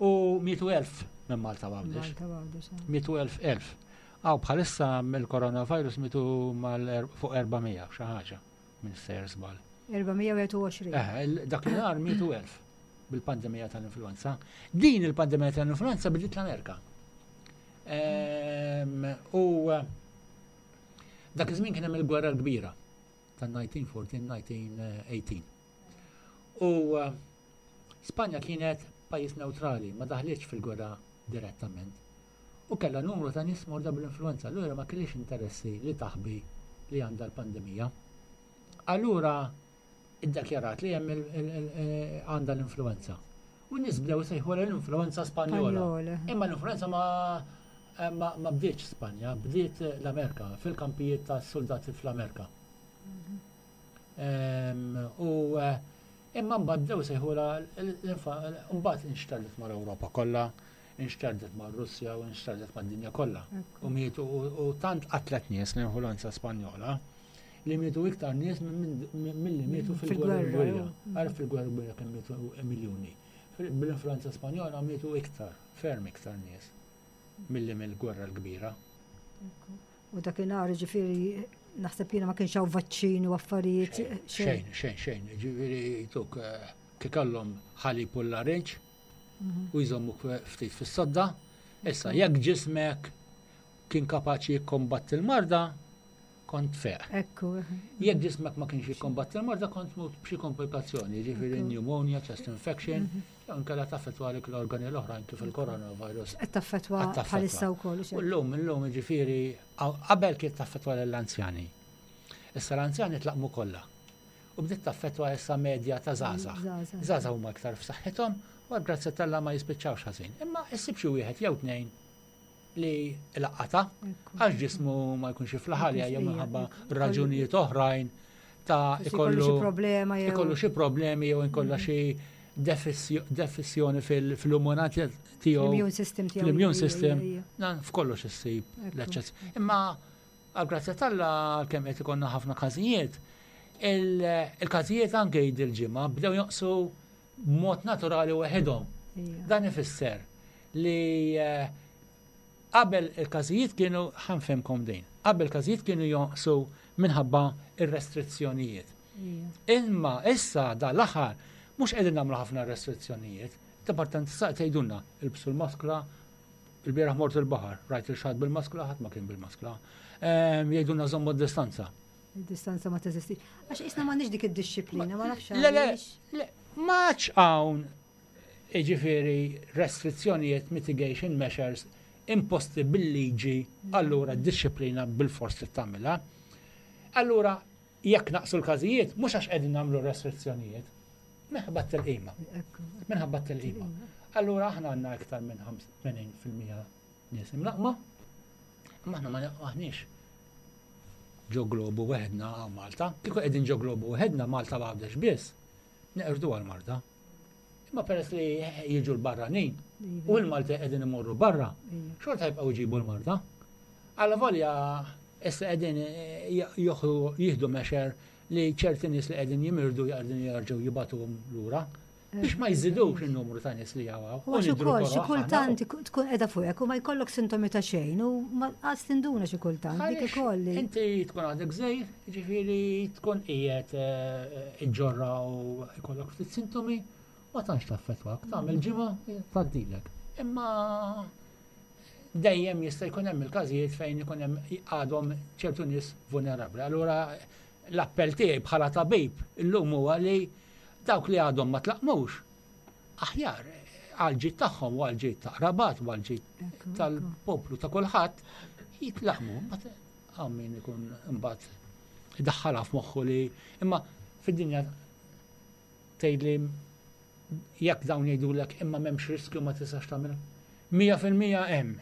U mietu elf minn Malta Għawdex. Mietu elf elf. Għaw bħalissa mill-coronavirus mietu mal fuq erba' mija xi ħaġa minn sejjer żball. erba' mija u wieħed u għoxrin. Eh, dak li nhar mietu elf bil-pandemija tal-influenza. Din il-pandemija tal-influenza bdiet l-Amerika. U dak iż-żmien kien hemm il-gwerra l-kbira tan-elf disa' mija u erbatax-elf disa' mija u tmintax. U Spanja kienet pajjiż neutrali, ma daħlitx fil-gwerra direttament. U kellha numru ta' nies morda bl-influenza, allura ma kellix interessi li taħbi li għandha l-pandemija. Allura iddakjarat li hemm għandha l-influenza. U n-nies bdew sejħu l-influenza Spanjola. Imma l-influenza ma ma, ma bdietx Spanja, bdiet l-Amerika, fil-kampijiet ta' soldati fl-Amerika. U imma mbagħad bdew sejħula, mbagħad inxterdet mal-Ewropa kollha, Inxterdet ma' Russja u inxterdet ma' dinja kollha. U mietu u tant qatlet nies l-influenza Spanjola li mietu iktar nies milli mietu fil-gwerra kbira. Għarf fil-gwerra kbira kemm mietu miljuni. Bil-influenza Spanjola mietu iktar, ferm iktar nies milli mill-gwerra l-kbira. U dakinhar, ġifieri, naħseb jiena ma kienx hawn vaċċin u affarijiet. Xejn, xejn, xejn. Ġifieri tuk kikallhom ħalib u larinġ u jżommuk ftit fis-sodda. Issa, jekk ġismek kien kapaċi jikkombatti l-marda, kont feq. Ekku. Jekk ġismek ma kienx jikkombatti l-marda, kont tmut b'xi komplikazzjoni, ġifieri pneumonia, chest infection, jew inkella taffettwalek l-organi l-oħrajn kif il-coronavirus. Qed taffettwa bħalissa wkoll. U llum, illum, ġifieri, qabel kien taffettwa l-anzjani. Issa l-anzjani tlaqmu kollha. U bdiet taffettwa issa medja ta' żgħażagħ. Żgħażagħ huma iktar f'saħħithom u grazzi t'Alla ma jispiċċawx ħażin. Imma issib xi wieħed jew tnejn li laqata għax ġismu ma jkunx jiflaħ jew minħabba raġunijiet oħrajn ta' ikollu xi problema jew ikollu xi problemi jew inkolla xi defissjoni fil-immunità tiegħu. L-immune system tiegħu. L-immune system, f'kollox issib l-eċċess. Imma għal grazzja t'Alla, kemm qed ikollna ħafna każijiet, il-każijiet anke dil-ġimgħa bdew jonqsu b'mod naturali waħedhom. Dan ifisser li eh, qabel il-każijiet kienu, ħa nfehemkom din, qabel il-każijiet kienu jonqsu minħabba ir-restrizzjonijiet. Imma issa da l-aħħar mhux qegħdin nagħmlu ħafna restrizzjonijiet. Departament sa tgħidulna ilbsu l-maskla, il-bieraħ mort il-baħar, rajt il-xatt bil-maskla, ħadd ma kien bil-maskla. Jgħidulna żommu d-distanza. Il-distanza ma teżisti. Għax isna m'għandniex dik id-dixxiplina, ma nafx. Le, le, le, maċ hawn ġifieri restrizzjonijiet, mitigation measures imposti bil-liġi, allura d-dixxiplina bil-fors li tagħmilha. Allura, jekk naqsu l-każijiet, mhux għax qegħdin nagħmlu restrizzjonijiet, minħabba t-tilqima. Minħabba t-tilqima. Allura aħna għandna iktar minn tmenin fil-mija nies imlaqma, imma aħna ma aħniex ġo globu weħedna Malta. Kieku qegħdin ġo globu weħedna Malta Għawdex biss, neqirdu għal-marda. Imma peress li jiġu l-barranin u l-Malta qegħdin imorru barra, xorta jibqgħu jġibu l-marda. Alla volja issa qegħdin jieħdu measure li ċerti nies li qegħdin jimirdu jqegħdin jerġgħu jibagħtuhom lura biex ma jżidux il-numru ta' nies li jawaw. U xi ukoll xi kultant tkun qiegħda fuqek u ma jkollok sintomi ta' xejn u ma qas tinduna xi kultant dik ukoll. Inti tkun għadek żgħir, ġifieri tkun qiegħed iġġorra u jkollok ftit sintomi, ma tantx taffettwak, tagħmel ġimgħa, tgħaddilek. Imma dejjem jista' jkun hemm il-każijiet fejn ikun hemm għadhom ċertu nies vulnerabbli. Allura l-appell tiegħi bħala tabib illum huwa li dawk li għadhom ma tlaqmux, aħjar għal-ġid tagħhom u għal-ġid ta' qrabat u għal-ġid tal-poplu ta' kulħadd jitlaqmu. Hawn min ikun imbagħad idaħħalha f'moħħu li imma fid-dinja tgħidli jekk dawn jgħidulek imma m'hemmx riskju, ma tistax tagħmel. Mija fil-mija hemm.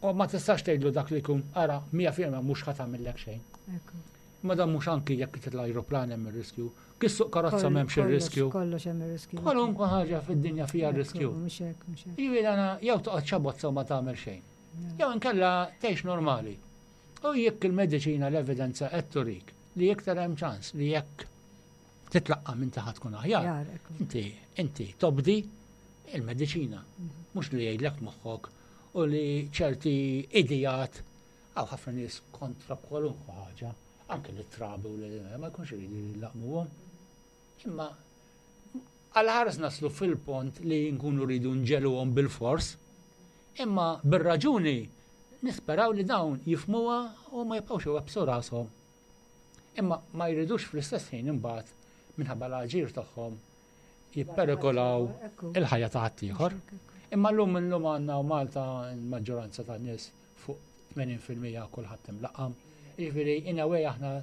U ma tistax tgħidlu dak li jkun ara mija fil-mija mhux ħa tagħmellek xejn. Ma dan mhux anki jekk titla' ajruplan hemm ir-riskju. Kif issuq karozza m'hemmx ir-riskju. Kollox hemm ir-riskju. Kwalunkwe ħaġa fid-dinja fiha riskju. Mhux hekk, mhux hekk. Jiġifieri għana jew toqgħod xabozza u ma tagħmel xejn. Jew inkella tgħix normali. U jekk il-mediċina, l-evidenza qed turik li iktar hemm ċans li jekk titlaqqa minn taħt tkun aħjar. Inti inti tobdi il-mediċina, mhux li jgħidlek moħħok u li ċerti idejat. Hawn ħafna nies kontra kwalunkwe ħaġa, anke li trabi u li ma jkunx iridu jlaqmuhom. Imma għal-ħares naslu fil-pont li nkunu rridu nġegħluhom bil-fors, imma bir-raġuni nisperaw li dawn jifhmuha u ma jibqgħux iwebbsu rashom. Imma ma jridux fl-istess ħin imbagħad minħabba l-aġir tagħhom jipperikolaw il-ħajja ta' ħaddieħor. Imma llum illum għandna u Malta l-maġġoranza ta' nies fuq tmenin fil-mija kulħadd imlaqqam. Jiġifieri in a way aħna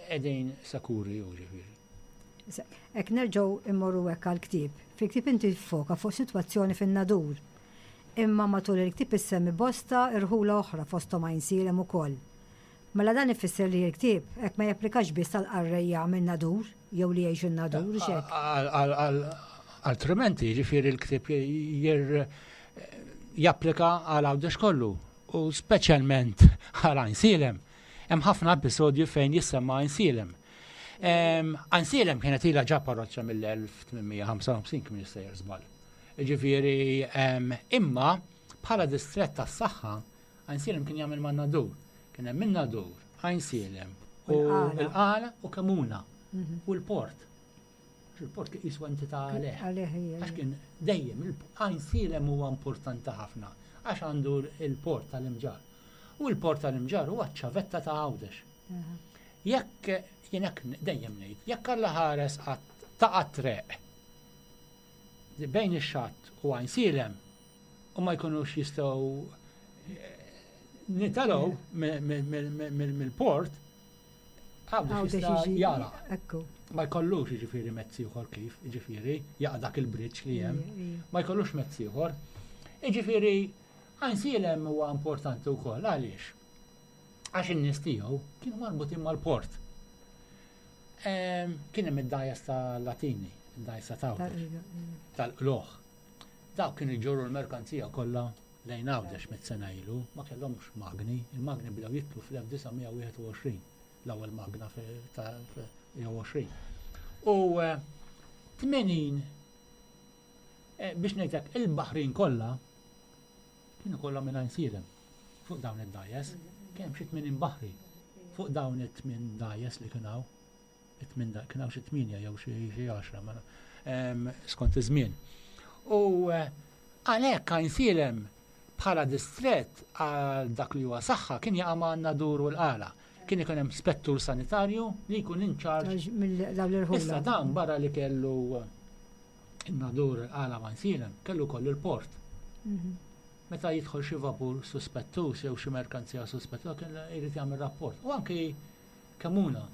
qegħdin sikuri u ġifieri. Ek nerġgħu immorru hekk għall-ktieb. Fil-ktieb inti foka fuq sitwazzjoni fin-Nadur. Imma matul il-ktieb issemmi bosta irħula oħra, fosthom Għajnsielem ukoll. Mela dan ifisser li l-ktieb hekk ma japplikax biss għal qarrejja minn Nadur jew li jgħixu n-Nadur, xek. Altrimenti, ġifieri l-ktieb jir japplika għal Għawdex kollu u speċjalment għal Għajnsielem. Hemm ħafna episodju fejn jissemma Għajnsielem. Għajnsielem kienet ilha ġa parroċċa mill-elf tmien mija ħamsa u ħamsin kien jissejjer żball. Ġifieri, imma bħala distrett tas-saħħa Għajnsielem kien jagħmel man-Nadur. Kien hemm in-Nadur, Għajnsielem u l-Qala u Kemuna u l-Port. Il-port kien jiswa entità għalih. Għax kien dejjem Għajnsielem huwa importanti ħafna għax għandu il-port tal-Imġarr. U l-port tal-Imġarr huwa ċ-ċavetta ta' Għawdex. Jekk jien hekk dejjem ngħid, jekk Alla ħares taqa' treq bejn ix-xatt u Għajnsielem u ma jkunux jistgħu nitalgħu mill-port, Għawdex jista' jara. Ma jkollux jiġifieri mezz ieħor kif, jiġifieri jaqa' dak il-bridge li hemm, ma jkollux mezz ieħor. Jiġifieri Għajnsielem huwa importanti wkoll għaliex? Għax in-nies tiegħu kienu marbutin mal-port. Kien hemm id-dgħajjes tal-Latini, id-dgħajjes ta' Għawdex, tal-qloħ. Dawk kienu jġorru l-merkanzija kollha lejn Għawdex mit sena ilu, ma kellhomx magni, il-magni bdew jitlu fl-elf disa' mija wieħed u għoxrin, l-ewwel magna jew għoxrin. U tmenin, biex ngħidlek, il-baħrin kollha kienu kollha minn Għajnsielem fuq dawn id-dgħajjes, kien hemm xi tmenin baħri fuq dawn it-tmien dgħajjes li kien hawn. It-tmien da-, kien hawn xi tmienja jew xi, xi għaxra, ma em, skont iż-żmien. U, eh, għalhekk Għajnsielem bħala distrett għal dak li huwa saħħa kien jaqa' ma' Nadur u l-Qala. Kien ikun hemm spettur sanitarju li jkun in charge Għax mill-dawn l-irħula. Issa dan barra li kellu in-Nadur il-Qala Għajnsielem, kellu kollu l-port. Mhm. Meta jidħol xi vapur suspettus jew xi merkanzija suspettusa kien irid jagħmel rapport. U anki Kemuna.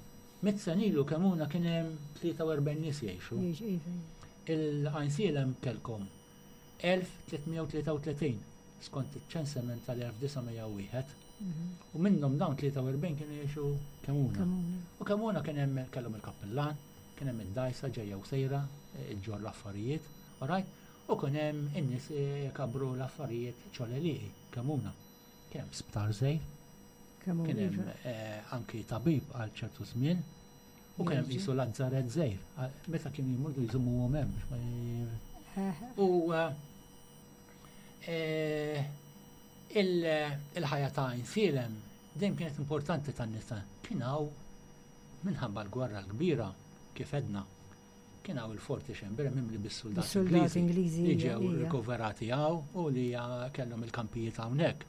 Mitt sena ilu Kemuna kien hemm tlieta u erbgħin nies jgħixu. Jgħix, iva. Il-Għajnsielem kellkom elf tliet mija u tlieta u tletin skont iċ-ċensament tal-elf disa' mija u wieħed. Mhm. U minnhom dawn tlieta u erbgħin kienu jgħixu Kemuna. Kemuna. U Kemuna kien hemm kellhom il-kappillan, kien hemm id-dajsa ġejja u sejra, iġġor l-affarijiet, all right? U kien hemm in-nies jkabru l-affarijiet ċoleliqi, Kemuna. Kien hemm sptar żgħir, Kemuna, kien hemm, iva. eh, anki tabib għal ċertu żmien, u kien hemm Jerġa'. qisu lazzaret żgħir, għal-, meta kienu jmorru jżommuhom hemm biex ma j- Eh. U, eh, eh, il-, il-ħajja ta' Għajnsielem dejjem kienet importanti tan-nisa. Kien hawn minħabba l-gwerra l-kbira kif edna, kien hawn il-Forti Chambray mimli bis-soldati Bis-soldati Ingliżi Ingliżi, li ija, ġew ija. rikoverati hawn u li kellhom il-kampijiet hawnhekk.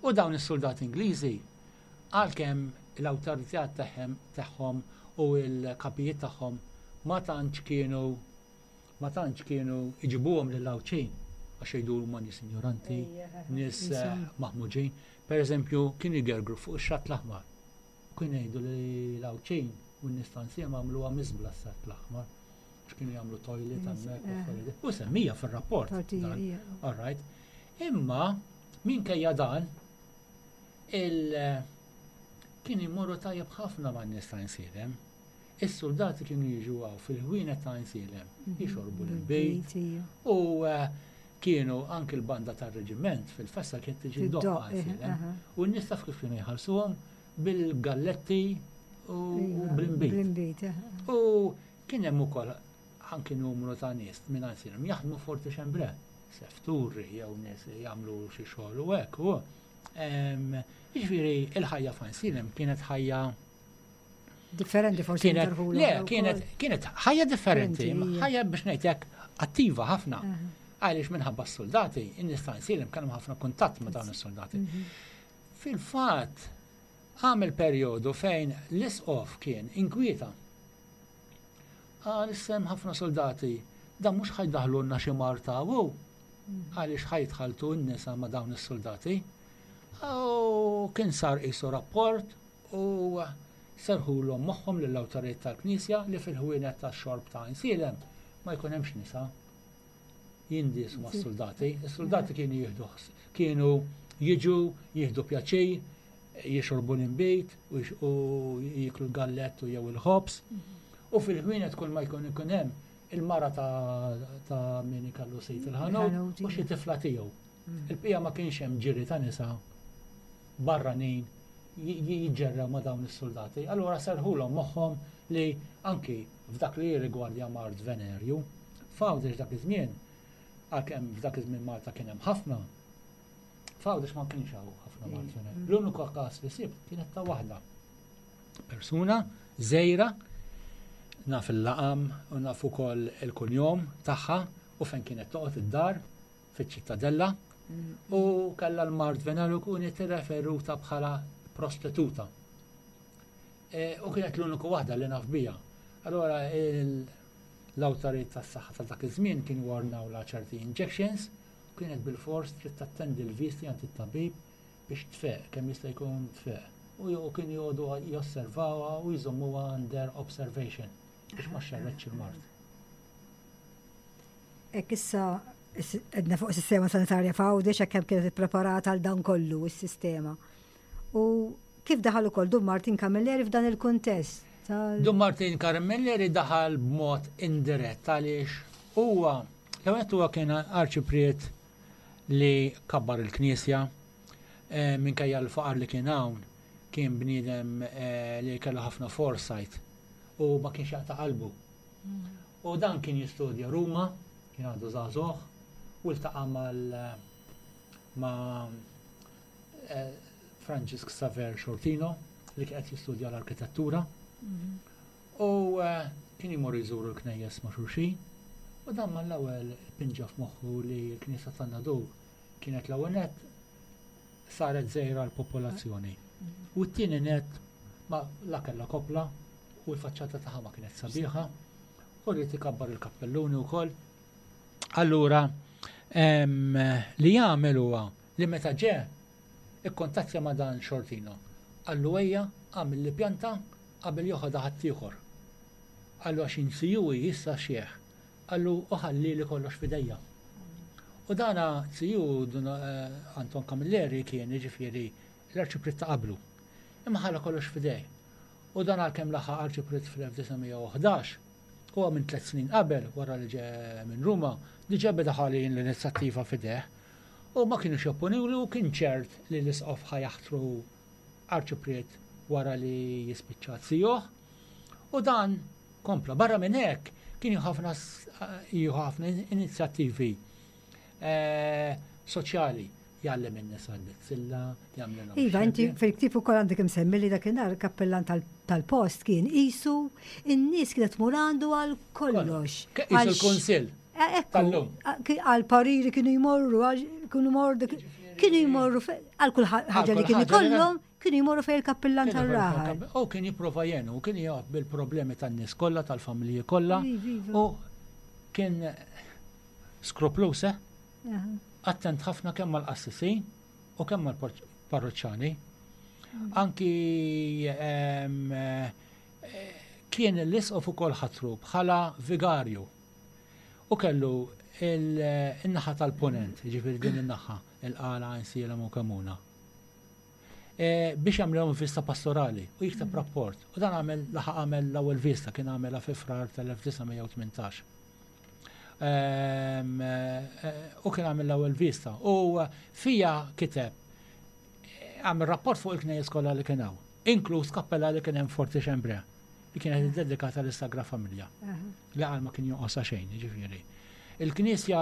U dawn is-soldati Ingliżi għalkemm l-awtorità tagħhom, tagħhom u l-kapijiet tagħhom ma tantx kienu ma tantx kienu iġibuhom lill-Għawdxin għax jgħidu huma nies ignoranti, nies, eh, Insomma. maħmuġin. Per eżempju, kienu jgergru fuq ix-xatt l-aħmar. Kienu jgħidu li l-Għawdxin u n-nies ta' Għajnsielem għamluha miżbla x-xatt l-aħmar. X'kienu jagħmlu toilet Yes, hemmhekk u eh. affarijiet. U semmija fir-rapport Partija, dan. ija. All right. Imma minkejja dan il kien imorru tajjeb ħafna man-nies ta' Għajnsielem. Is-soldati kienu jiġu hawn fil-ħwienet ta' Għajnsielem, Mhm. jixorbu l-inbid ija. u, eh, kienu anki l-banda tar-reġiment fil-festa kienet tiġi Tiddoq, ddoqq eh, Għajnsielem. aha. U n-nies taf kif kienu jħallsuhom bil-galletti u Iva, bl-inbid. Bl-inbid, eh. U kien hemm ukoll anki numru ta' nies minn Għajnsielem jaħdmu Forti Chambray, sefturi jew nies jagħmlu xi xogħol u hekk. U, em, jiġifieri il-ħajja f'Għajnsielem kienet ħajja Differenti forsi Kienet, interħula le, wkoll. kienet, kienet ħajja differenti, Differenti, hija. ħajja biex ngħidlek attiva ħafna. Aha. Għaliex minħabba s-soldati, in-nies ta' Għajnsielem kellhom ħafna kuntatt ma' dawn is-soldati. Mhm. Fil-fatt, għamel perjodu fejn l-isqof kien inkwieta. Għal sem ħafna soldati, dan mhux ħajdaħlulna xi marta u għaliex ħajtħaltu n-nisa ma' dawn is-soldati. U kien sar qisu rapport u serħulhom moħħhom lill-awtoritajiet tal-Knisja li fil-ħwienet tax-xorb ta' Għajnsielem ma jkun hemmx nisa jindisu ma' soldati. Is-soldati kienu jieħdu ħs-, kienu jiġu, jieħdu pjaċir, jixorbu l-inbid u jix-, u jiklu l-gallettu jew il-ħobż. U fil-ħwienet kull ma jkun ikun hemm Il-mara ta' min kellu sit il-ħanut u xi tifla tiegħu. Mm. Il-bqija ma kienx hemm ġiri ta' nisa barranin jiġġerrew ma' dawn is-soldati. Allura serħulhom moħħhom li anki f'dak li jirrigwardja mard venerju, f'Għawdex dak iż-żmien, għalkemm f'dak iż-żmien Malta kien hemm ħafna, f'Għawdex ma kienx hawn ħafna mard venerju. Mm. L-uniku każ li sibt kienet ta' waħda. Persuna żgħira, naf il-laqam u naf ukoll il-kunjom tagħha u fejn kienet toqgħod id-dar fiċ-Ċittadella mm. u kellha l-mard venerju kienet referuta bħala prostituta. E, u kienet l-uniku waħda li naf bija. Allora l-awtoritajiet tas-saħħa ta' dak iż-żmien kienu ordnawlha ċerti injections u kienet bil-fors trid tattendi l-visti għand it-tabib biex tfeq, kemm jista' jkun tfeq. U kien joqogħdu josservawha u jżommuha under observation biex ma xxerredx il-mard. Ek issa edna fuq sistema sanitarja f'Għawdex hekk kemm kienet ippreparata għal dan kollu is-sistema. U kif daħal ukoll Dun Martin Camilleri f'dan il-kuntest? Dun Martin Camilleri daħal b'mod indirett għaliex huwa l-ewwel huwa kien arċipriet li kabbar il-knisja eh, minkejja l-faqar li kien hawn, kien bniedem eh, li kellu ħafna foresight u ma kienx jaqta' qalbu. U dan kien jistudja Ruma, kien għadu żagħżugħ, u ltaqa' mal ma' eh, Francis Xaver Sciortino li kien qed jistudja l-arkitettura. U eh, kien jmur jżuru l-knejjes ma' xulxin. U dan mal-ewwel pinġa f'moħħu li l-Knisja tan-Nadur kienet l-ewwel net saret żgħira l-popolazzjoni. U t-tieni net ma la kellha kopla u l-faċċata tagħha ma kienet sabiħa u rrid ikabbar il-kappelluni wkoll. Allura em, li jagħmel huwa li meta ġe ikkontattja ma' dan Sciortino. Qallu, "Ejja, għamel li pjanta qabel joħodha ħaddieħor." Qallu, "Għax iz-ziju issa xieħ." Qallu, "U ħalli li kollox f'idejja." U dana ziju dun eh, Anton Camilleri kien jiġifieri l-arċipriet ta' qablu. Imma ħalla kollox f'idej. U dan għalkemm laħaq arċipriet fl-elf disa' mija u ħdax, huwa minn tliet snin qabel, wara li ġe minn Ruma, diġà beda ħalli l-inizjattiva f'ideh. U ma kienux jopponiwlu u kien ċert li l-isqof ħa jaħtru arċipriet wara li jispiċċa zijuh. U dan kompla. Barra minn hekk kien jieħu ħafna jieħu ħafna inizjattivi eh, soċjali, jgħallem in-nisa l-bizzilla, jagħmlilhom Iva, inti xebje. fil-ktib ukoll għandek imsemmi li dakinhar kappellan tal- tal-post kien isu in-nies kienet tmur għandu għal kollox. Ke- Isu Għal l-kunsill Eh, Ekku, tal-lum. għal pariri kienu jmorru, għal- kienu jmorru, kienu jmorru fe- għal kull ħaġa li kull kienu ħaġa li kollhom, kienu jmorru fej il-kappellan Kien tal-raħal. U kien jipprova jenu, u kien jgħod bil-problemi tan-nies kollha, tal-familji kollha. Iva, iva. U kien skrupluż, eh? Aha. Attent ħafna kemm mal-qassisin u kemm mal-parroċċani. Anki em, eh, kien l-isqof ukoll ħatru bħala vigarju. U kellu il-naħa tal-ponent, ġifieri din in-naħa, il-Qala, Għajnsielem u Kemmuna. E, biex jagħmlhom vista pastorali u jikteb rapport. U dan għamel laħaq għamel l-ewwel vista, kien għamela fi Frar tal-elf disa' mija u tmintax. Ehm, eh, u kien għamel l-ewwel vista. U eh, fija kiteb eh, għamel rapport fuq il-knejjes kollha li kien hawn, inkluż kappella li kien hemm Forti Chambray li kienet dedikata lis-Sagra Familja Aha. li għal ma kien jonqosha xejn, ġifieri. Il-knisja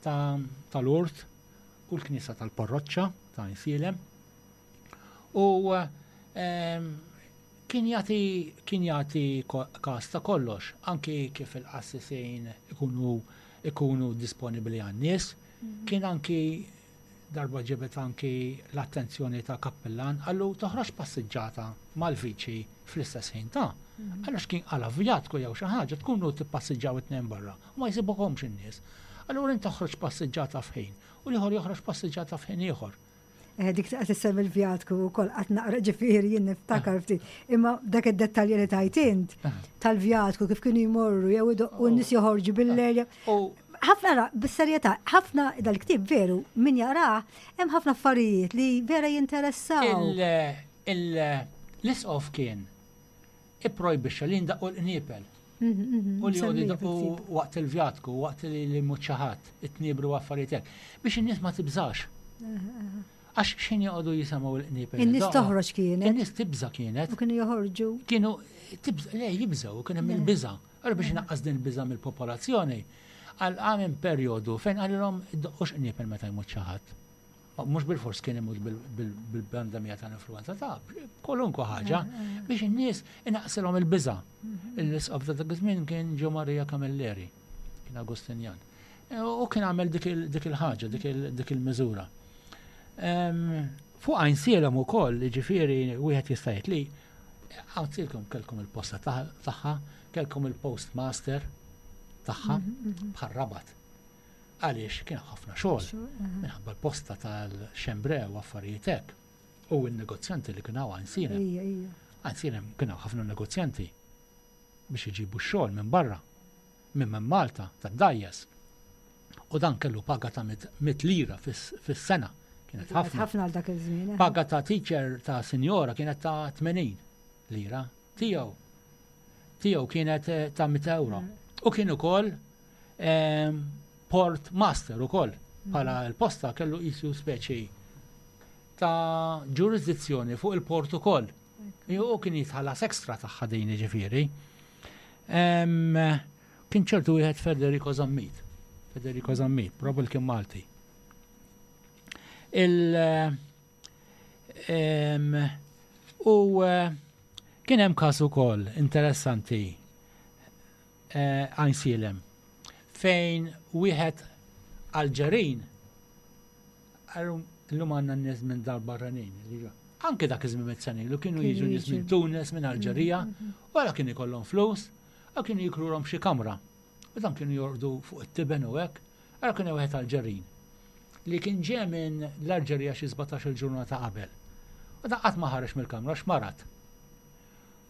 ta' tal-Urt u l-knisja tal-Parroċċa ta' Għajnsielem. U ehm, kien jagħti kien jagħti ko- każ ta' kollox, anki kif il-qassisin ikunu ikunu disponibbli għan-nies. Kien anki darba ġibet anki l-attenzjoni ta' kappellan, qallu, "Toħroġ passiġġata mal-viċi fl-istess ħin ta'. Għaliex kien għala vjatku jew xi ħaġa tkunu tippassiġġaw it-tnejn barra u ma jsibukomx in-nies. Allura inti toħroġ passiġġata f'ħin u l-ieħor joħroġ passiġġata f'ħin ieħor." Eh, dik qed issemmi l-vjatku wkoll qatt naqra, ġifieri jien niftakar ftit. Imma dak id-dettalji li tajt int tal-vjatku, kif kienu jmorru jew idoqqu, n-nies joħorġu bil-lejl. U Ħafna ra, bis-serjetà, ħafna dal-ktieb veru min jaqrah hemm ħafna affarijiet li vera jinteressaw. il- il- l-isqof kien ipprojbixxa li ndaqqu l-qniepel. Mhm, mhm, U li msemmija jgħodu fil-ktieb. waqt il-vjatku, waqt li li jmut xi ħadd, it-tniebru affarijiet hekk. Biex in-nies ma tibżax. Għax x'ħin joqogħdu jisimgħu l-qniepen. In-nies toħroġ kienet. In-nies tibża kienet. U kienu joħorġu. Kienu tibża, le jibżaw, kien hemm il-biża. Allura biex inaqqas din il-biża mill-popolazzjoni, għal għamel perjodu fejn qalilhom iddoqqux qniepen meta jmut xi ħadd. Mhux bil-fors kien imut bil-pandemija tal-influenza ta' kwalunkwe ħaġa biex in-nies inaqsilhom il-biża. L-isqof ta' dak iż-żmien kien Ġo Maria Camilleri, kien Agostinjan. U kien għamel dik il-ħaġa, dik il-miżura. Fuq Għajnsielem ukoll, ġifieri wieħed jista' jgħid li Għajnsielem kellkom il-posta tagħha, kellkom il-postmaster tagħha bħal Rabat. Għaliex kien ħafna xogħol minħabba l-posta tal-Xembre u affarijiet hekk. U n-negozjanti li kienu Għajnsielem. Ija, ija. Għajnsielem kienu ħafna negozjanti biex iġibu x-xogħol minn barra, minn minn Malta, tad-dgħajjes. U dan kellu paga ta' mit lira fis-sena. Kienet ħafna. Ħafna għal dak iż-żmien. eh. Paga ta' teacher ta' sinjora kienet ta' tmenin lira. Tiegħu. Tiegħu kienet eh, ta' mitt euro. U kien ukoll ehm, port master ukoll. Bħala l-posta kellu qisu speċi ta' ġurisdizzjoni fuq il-port ukoll. U kien jitħallas ekstra tagħha din ġifieri. Ehm, Kien ċertu wieħed Federico Zammit. Federico Zammit, probably kien Malti. Il em, u eh, kien hemm każ ukoll interessanti eh, Għajnsielem fejn wieħed Alġerin, illum għandna n-nies minn dar barranin. Anke dak iż-żmien mitt sena ilu kienu jiġu nies minn Tunis, minn Alġerija, wara kien ikollhom flus, u kienu jikrulhom xi kamra. U dan kienu jorqdu fuq it-tiben u hekk, għara kien wieħed Alġerin li kien ġie minn l-Alġerija xi sbatax-il ġurnata qabel. U dan qatt ma ħareġ mill-kamra x'marad.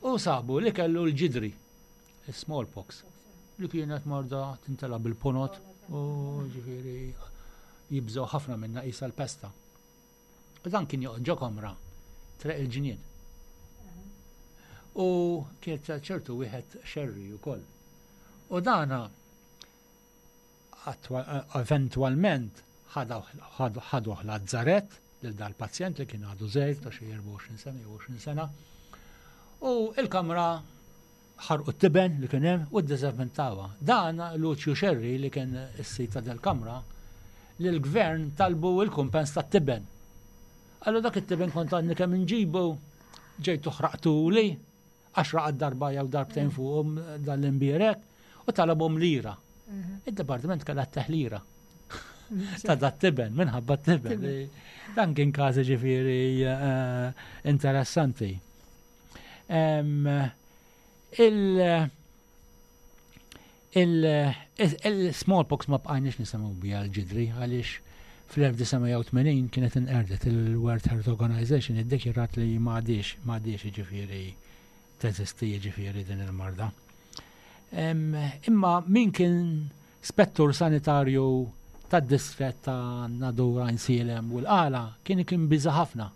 U sabu li kellu l-ġidri, smallpox, li kienet marda tintela bil-ponot u ġifieri jibżgħu ħafna minna qisha l-pesta. U dan kien joqgħod ġo kamra Triq il-Ġnien. U kienet ċertu wieħed Xerri ukoll. U dana eventualment ħaduh Lazzarett lil dal-pazjent li kien għadu żgħir ta' xi erbgħa u għoxrin sena jew għoxrin sena. U il-kamra ħarqu t-tiben li kien hemm u ddiżinfettawha. Dan Lucio Xerri li kien is-sid ta' del-kamra li l-gvern talbu il-kumpens tat-tiben. Għallu dak it-tiben kont għadni kemm inġibu ġejtu ħraqtu li għax raqad darba jew darbtejn fuqhom dan l-imbierek u talabhom lira. Id-dipartiment kellha teħlira ta' dat tiben, minħabba t-tiben. Dan kien każ ġifieri eh, interessanti. Em, Il- il- Il-smallpox ma bqajniex nisimgħu biha l-ġidri għaliex fl-elf disa' mija u tmenin kienet inqerdet. Il-World Health Organization iddikjarat li m'għadhiex m'għadhiex ġifieri teżisti ġifieri din il-marda. Em, Imma min kien spettur sanitarju tad-distrett ta' Nadur, Għajnsielem u l-Qala kien kien biża ħafna.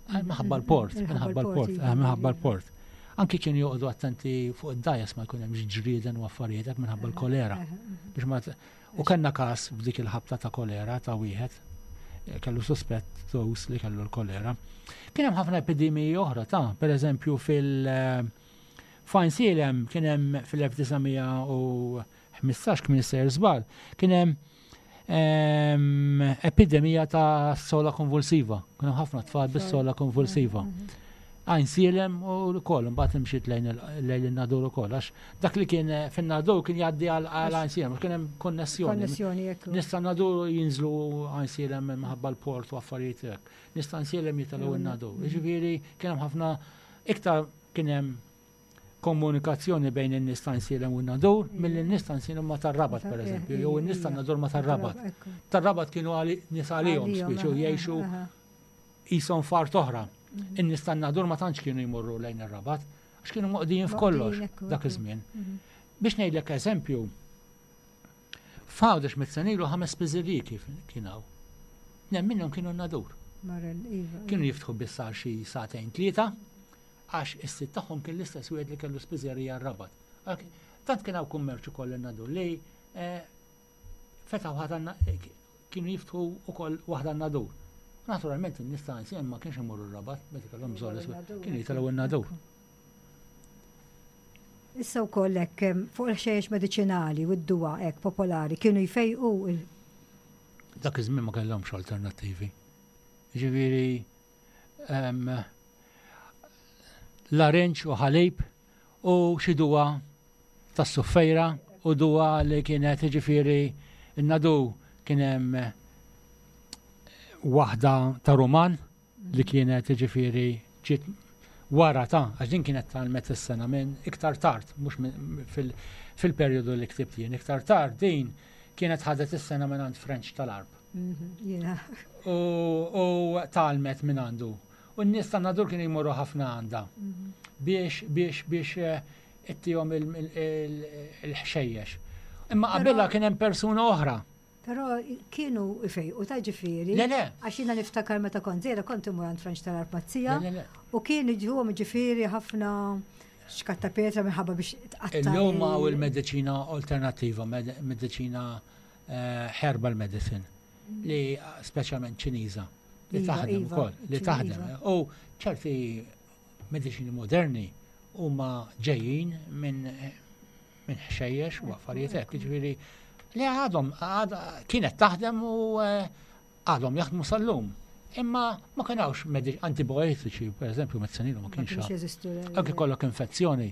Għal minħabba l-port, minħabba l-port, eh, minħabba l-port. Anki kienu joqogħdu attenti fuq id-dgħajjes ma jkun hemm ġrieden u affarijiet hekk minħabba l-kolera. Biex ma t- U kellna każ f'dik il-ħabta ta' kolera ta' wieħed eh, kellu suspett tos li kellu l-kolera. Kien hemm ħafna epidemiji oħra ta' per eżempju fil- eh, F'Għajnsielem kien hemm fil-elf disa' mija u ħmistax, kien sejjer żball, kien hemm em, epidemija ta' sola konvulsiva. Kien hemm ħafna tfal bis-sola konvulsiva. Għajnsielem u l-koll, mbagħad imxiet lejn il- lejn il-Nadur ukoll, għax dak li kien eh, fin-Nadur kien jgħaddi għal għal Għajnsielem, kien hemm konnessjoni. Konnessjoni, ekku. Nies tan-Nadur jinżlu Għajnsielem minħabba l-port u affarijiet hekk. Nies t'Għajnsielem jitilgħu n-Nadur. Ġifieri kien hemm ħafna iktar kien hemm komunikazzjoni bejn in-nies t'Għajnsielem u n-Nadur milli n-nies t'Għajnsielem ma tar-Rabat pereżempju, jew in-nies tan-Nadur ma tar-Rabat. Ekku. Tar-Rabat kienu għali- nies għalihom Għalihom, spiċu aha, jgħixu aha. qishom f'art oħra. In-nies tan-Nadur ma tantx kienu jmorru lejn ir-Rabat, għax kienu moqdijin f'kollox Moqdijin, ekku, dak ekku. iż-żmien. Biex ngħidlek eżempju, f'Għawdex mitt sena ilu ħames spiżeriji kif kien hawn. Tnejn minnhom kienu n-Nadur. Marel, iva. Kienu jiftħu biss għal xi sagħtejn tlieta, għax is-sid tagħhom kien l-istess wieħed li kellu spiżerija r-Rabat. Għal- Tant kien hawn kummerċ ukoll in-Nadur li eh, fetaħ waħda kienu jiftħu ukoll waħda n-Nadur. Naturalment in-nies ta' Għajnsielem ma kienx imorru r-Rabat, meta kellhom bżonn kienu jitilgħu n-Nadur. Issa wkoll hekk fuq il-ħxejjex mediċinali u d-duwa hekk popolari kienu jfejqu il Dak iż-żmien ma kellhomx alternattivi. Ġifieri larinġ u ħalib u xi duwa tas-suffejra u duwa li kienet ġifieri n-Nadur kien hemm waħda ta' Ruman li kienet ġifieri ġiet wara ta' għax din kienet tgħallmet is-sena minn iktar tard, mhux fil-perjodu li ktibt jien, iktar tard din kienet ħadet is-sena minn għand French tal-Għarb. Mhm, U tgħallmet minn għandu. U n-nies ta' Nadur kienu jmorru ħafna għandha mhm. biex biex biex eh, ittihom il-ħxejjex. Imma qabilha kien hemm persuna oħra. Però kienu ifejqu ta' ġifieri. Le, le. Għax jiena niftakar meta kont żgħira kont imur għand French tal-Għarb mazzija. Le, le, le. U kien iġuhom ġifieri ħafna xkatta pietra minħabba biex tqatta'. Illum hawn il-mediċina alternattiva, mediċina eh, herbal medicine, li speċjalment Ċiniża, li Iva, taħdem iva, ukoll, li ċi- taħdem. iva. U ċerti mediċini moderni huma ġejjin minn minn ħxejjex u affarijiet hekk, jiġifieri li għadhom għad- kienet taħdem u eh, għadhom jaħdmu sal-lum. Imma ma kienawx antibiotiċi, per eżempju, mezzanilu ma Ma kienx kienx hawn. jeżistu. le- Anke kollok infezzjoni,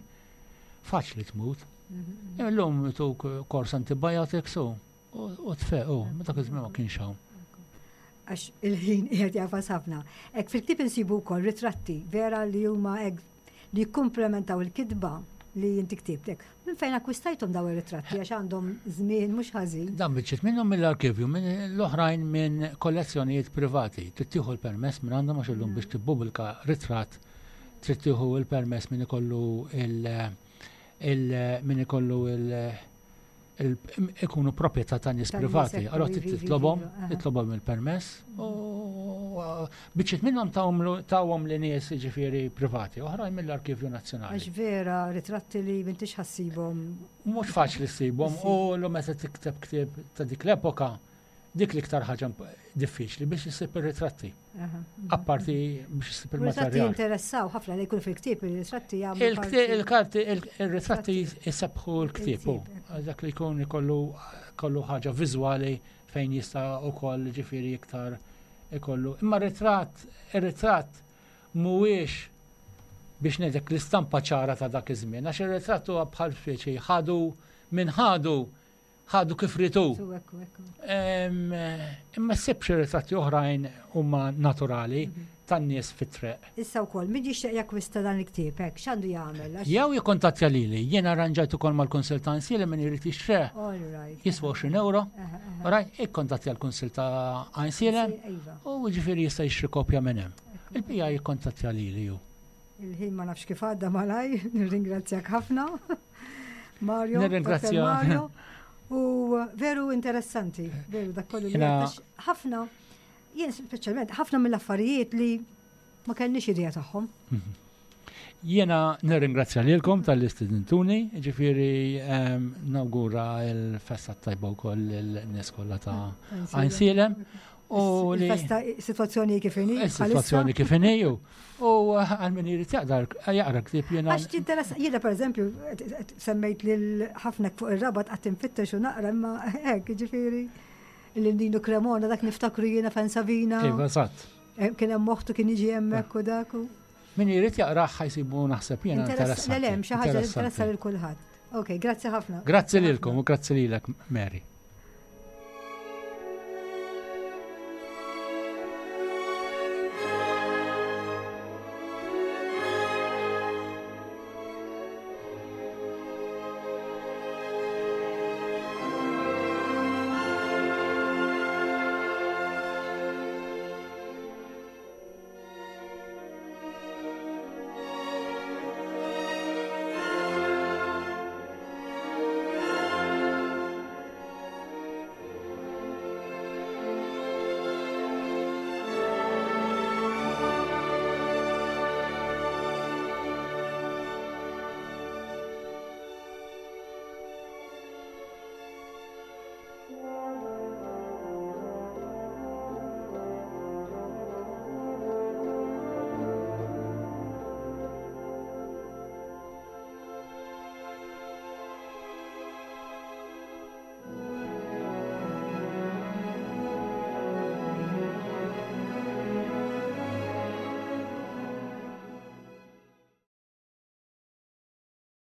faċli tmut. Mhm. Illum tuk kors antibiotics u u tfeq, u ma dak iż-żmien ma kienx hawn. Għax il-ħin qiegħed jagħfas ħafna. Hekk fil-ktieb insibu wkoll ritratti vera li huma hekk li jikkumplementaw il-kitba li inti ktibtek. Minn fejn akkwistajthom daw ir-ritratti għax għandhom żmien mhux ħażin. Dan biċċiet minnhom mill-arkivju, minn l-oħrajn minn kollezzjonijiet privati. Trid tieħu l-permess minn għandhom għax illum biex tippubblika ritratt trid tieħu l-permess minn ikollu il- il min ikollu il il- ikunu proprjetà ta' nies Ta' nies, privati. ekku, Allora ivi, ivi, titlobhom, iva, aha. titlobhom il-permess u biċċiet minnhom tawhom tawhom li nies jiġifieri privati, oħrajn mill-Arkivju Nazzjonali. Għax vera ritratti li m'intix ħassibhom. Mhux faċli ssibhom u l meta tikteb ktieb ta' dik l-epoka, dik l-iktar ħaġa imp- diffiċli biex issib ir-ritratti. Aha. Apparti biex issib U Ritratti il-materjal. jinteressaw ħafna li jkun fil-ktieb ir-ritratti jagħmlu Il-kti- parti- Il-karti, il-ritratti jisebħu l-ktieb. u Il-ktieb, Dak li jkun ikollu kollu ħaġa viżwali fejn jista' ukoll ġifieri iktar ikollu. Imma ritratt, ir-ritratt mhuwiex biex ngħidlek l-istampa ċara ta' dak iż-żmien, għax ir-ritratt huwa bħal speċi ħadu minn ħadu ħadu kif ritu. Su, ekku, ekku. Em, Imma ssib xi ritratti oħrajn huma naturali tan-nies fit-triq. Issa wkoll min jixtieq jakkwista dan il-ktieb hekk x'għandu jagħmel? Għax- Jew jikkontattja lili, jien arranġajt ukoll mal-Kunsill ta' Għajnsielem min irid jixtreh All right. jiswa għoxrin euro, Aha, aha. right, ikkontattja l-Kunsill ta' Għajnsielem Iva. u ġifieri jista' jixtri kopja minn hemm. Il-bija jikkontattja lili ju. Il-ħin ma nafx kif għadda malaj, nirringrazzjak ħafna. Mario, Nirringrazzja. Dottor Mario. U veru interessanti, veru dak kollu li Jena- għax ħafna, jien speċjalment ħafna mill-affarijiet li ma kellniex idea tagħhom. Jiena nirringrazzja lilkom talli stidintuni, ġifieri em, nawgura l-festa tajba wkoll lin-nies kollha ta' Għajnsielem u li Il-festa, situazzjoni kif inhi. is-sitwazzjoni kif inhi u u għal min irid jaqdar jaqra ktieb jiena Għax tinteressa, jiena per eżempju, semmejt lil ħafna fuq ir-Rabat qatt infittex u naqra imma hekk, ġifieri lil Ninu Cremona dak niftakru jiena fejn Savina. Iva, eżatt. Eh, Kien hemm moħtu kien jiġi hemmhekk u dak u. Min irid jaqrah ħa jsibu naħseb jiena Interess, interessanti. le, le, xi ħaġa li Interessanti. interessa lil kulħadd. Ok, grazzi ħafna. Grazzi lilkom u grazzi lilek Mary.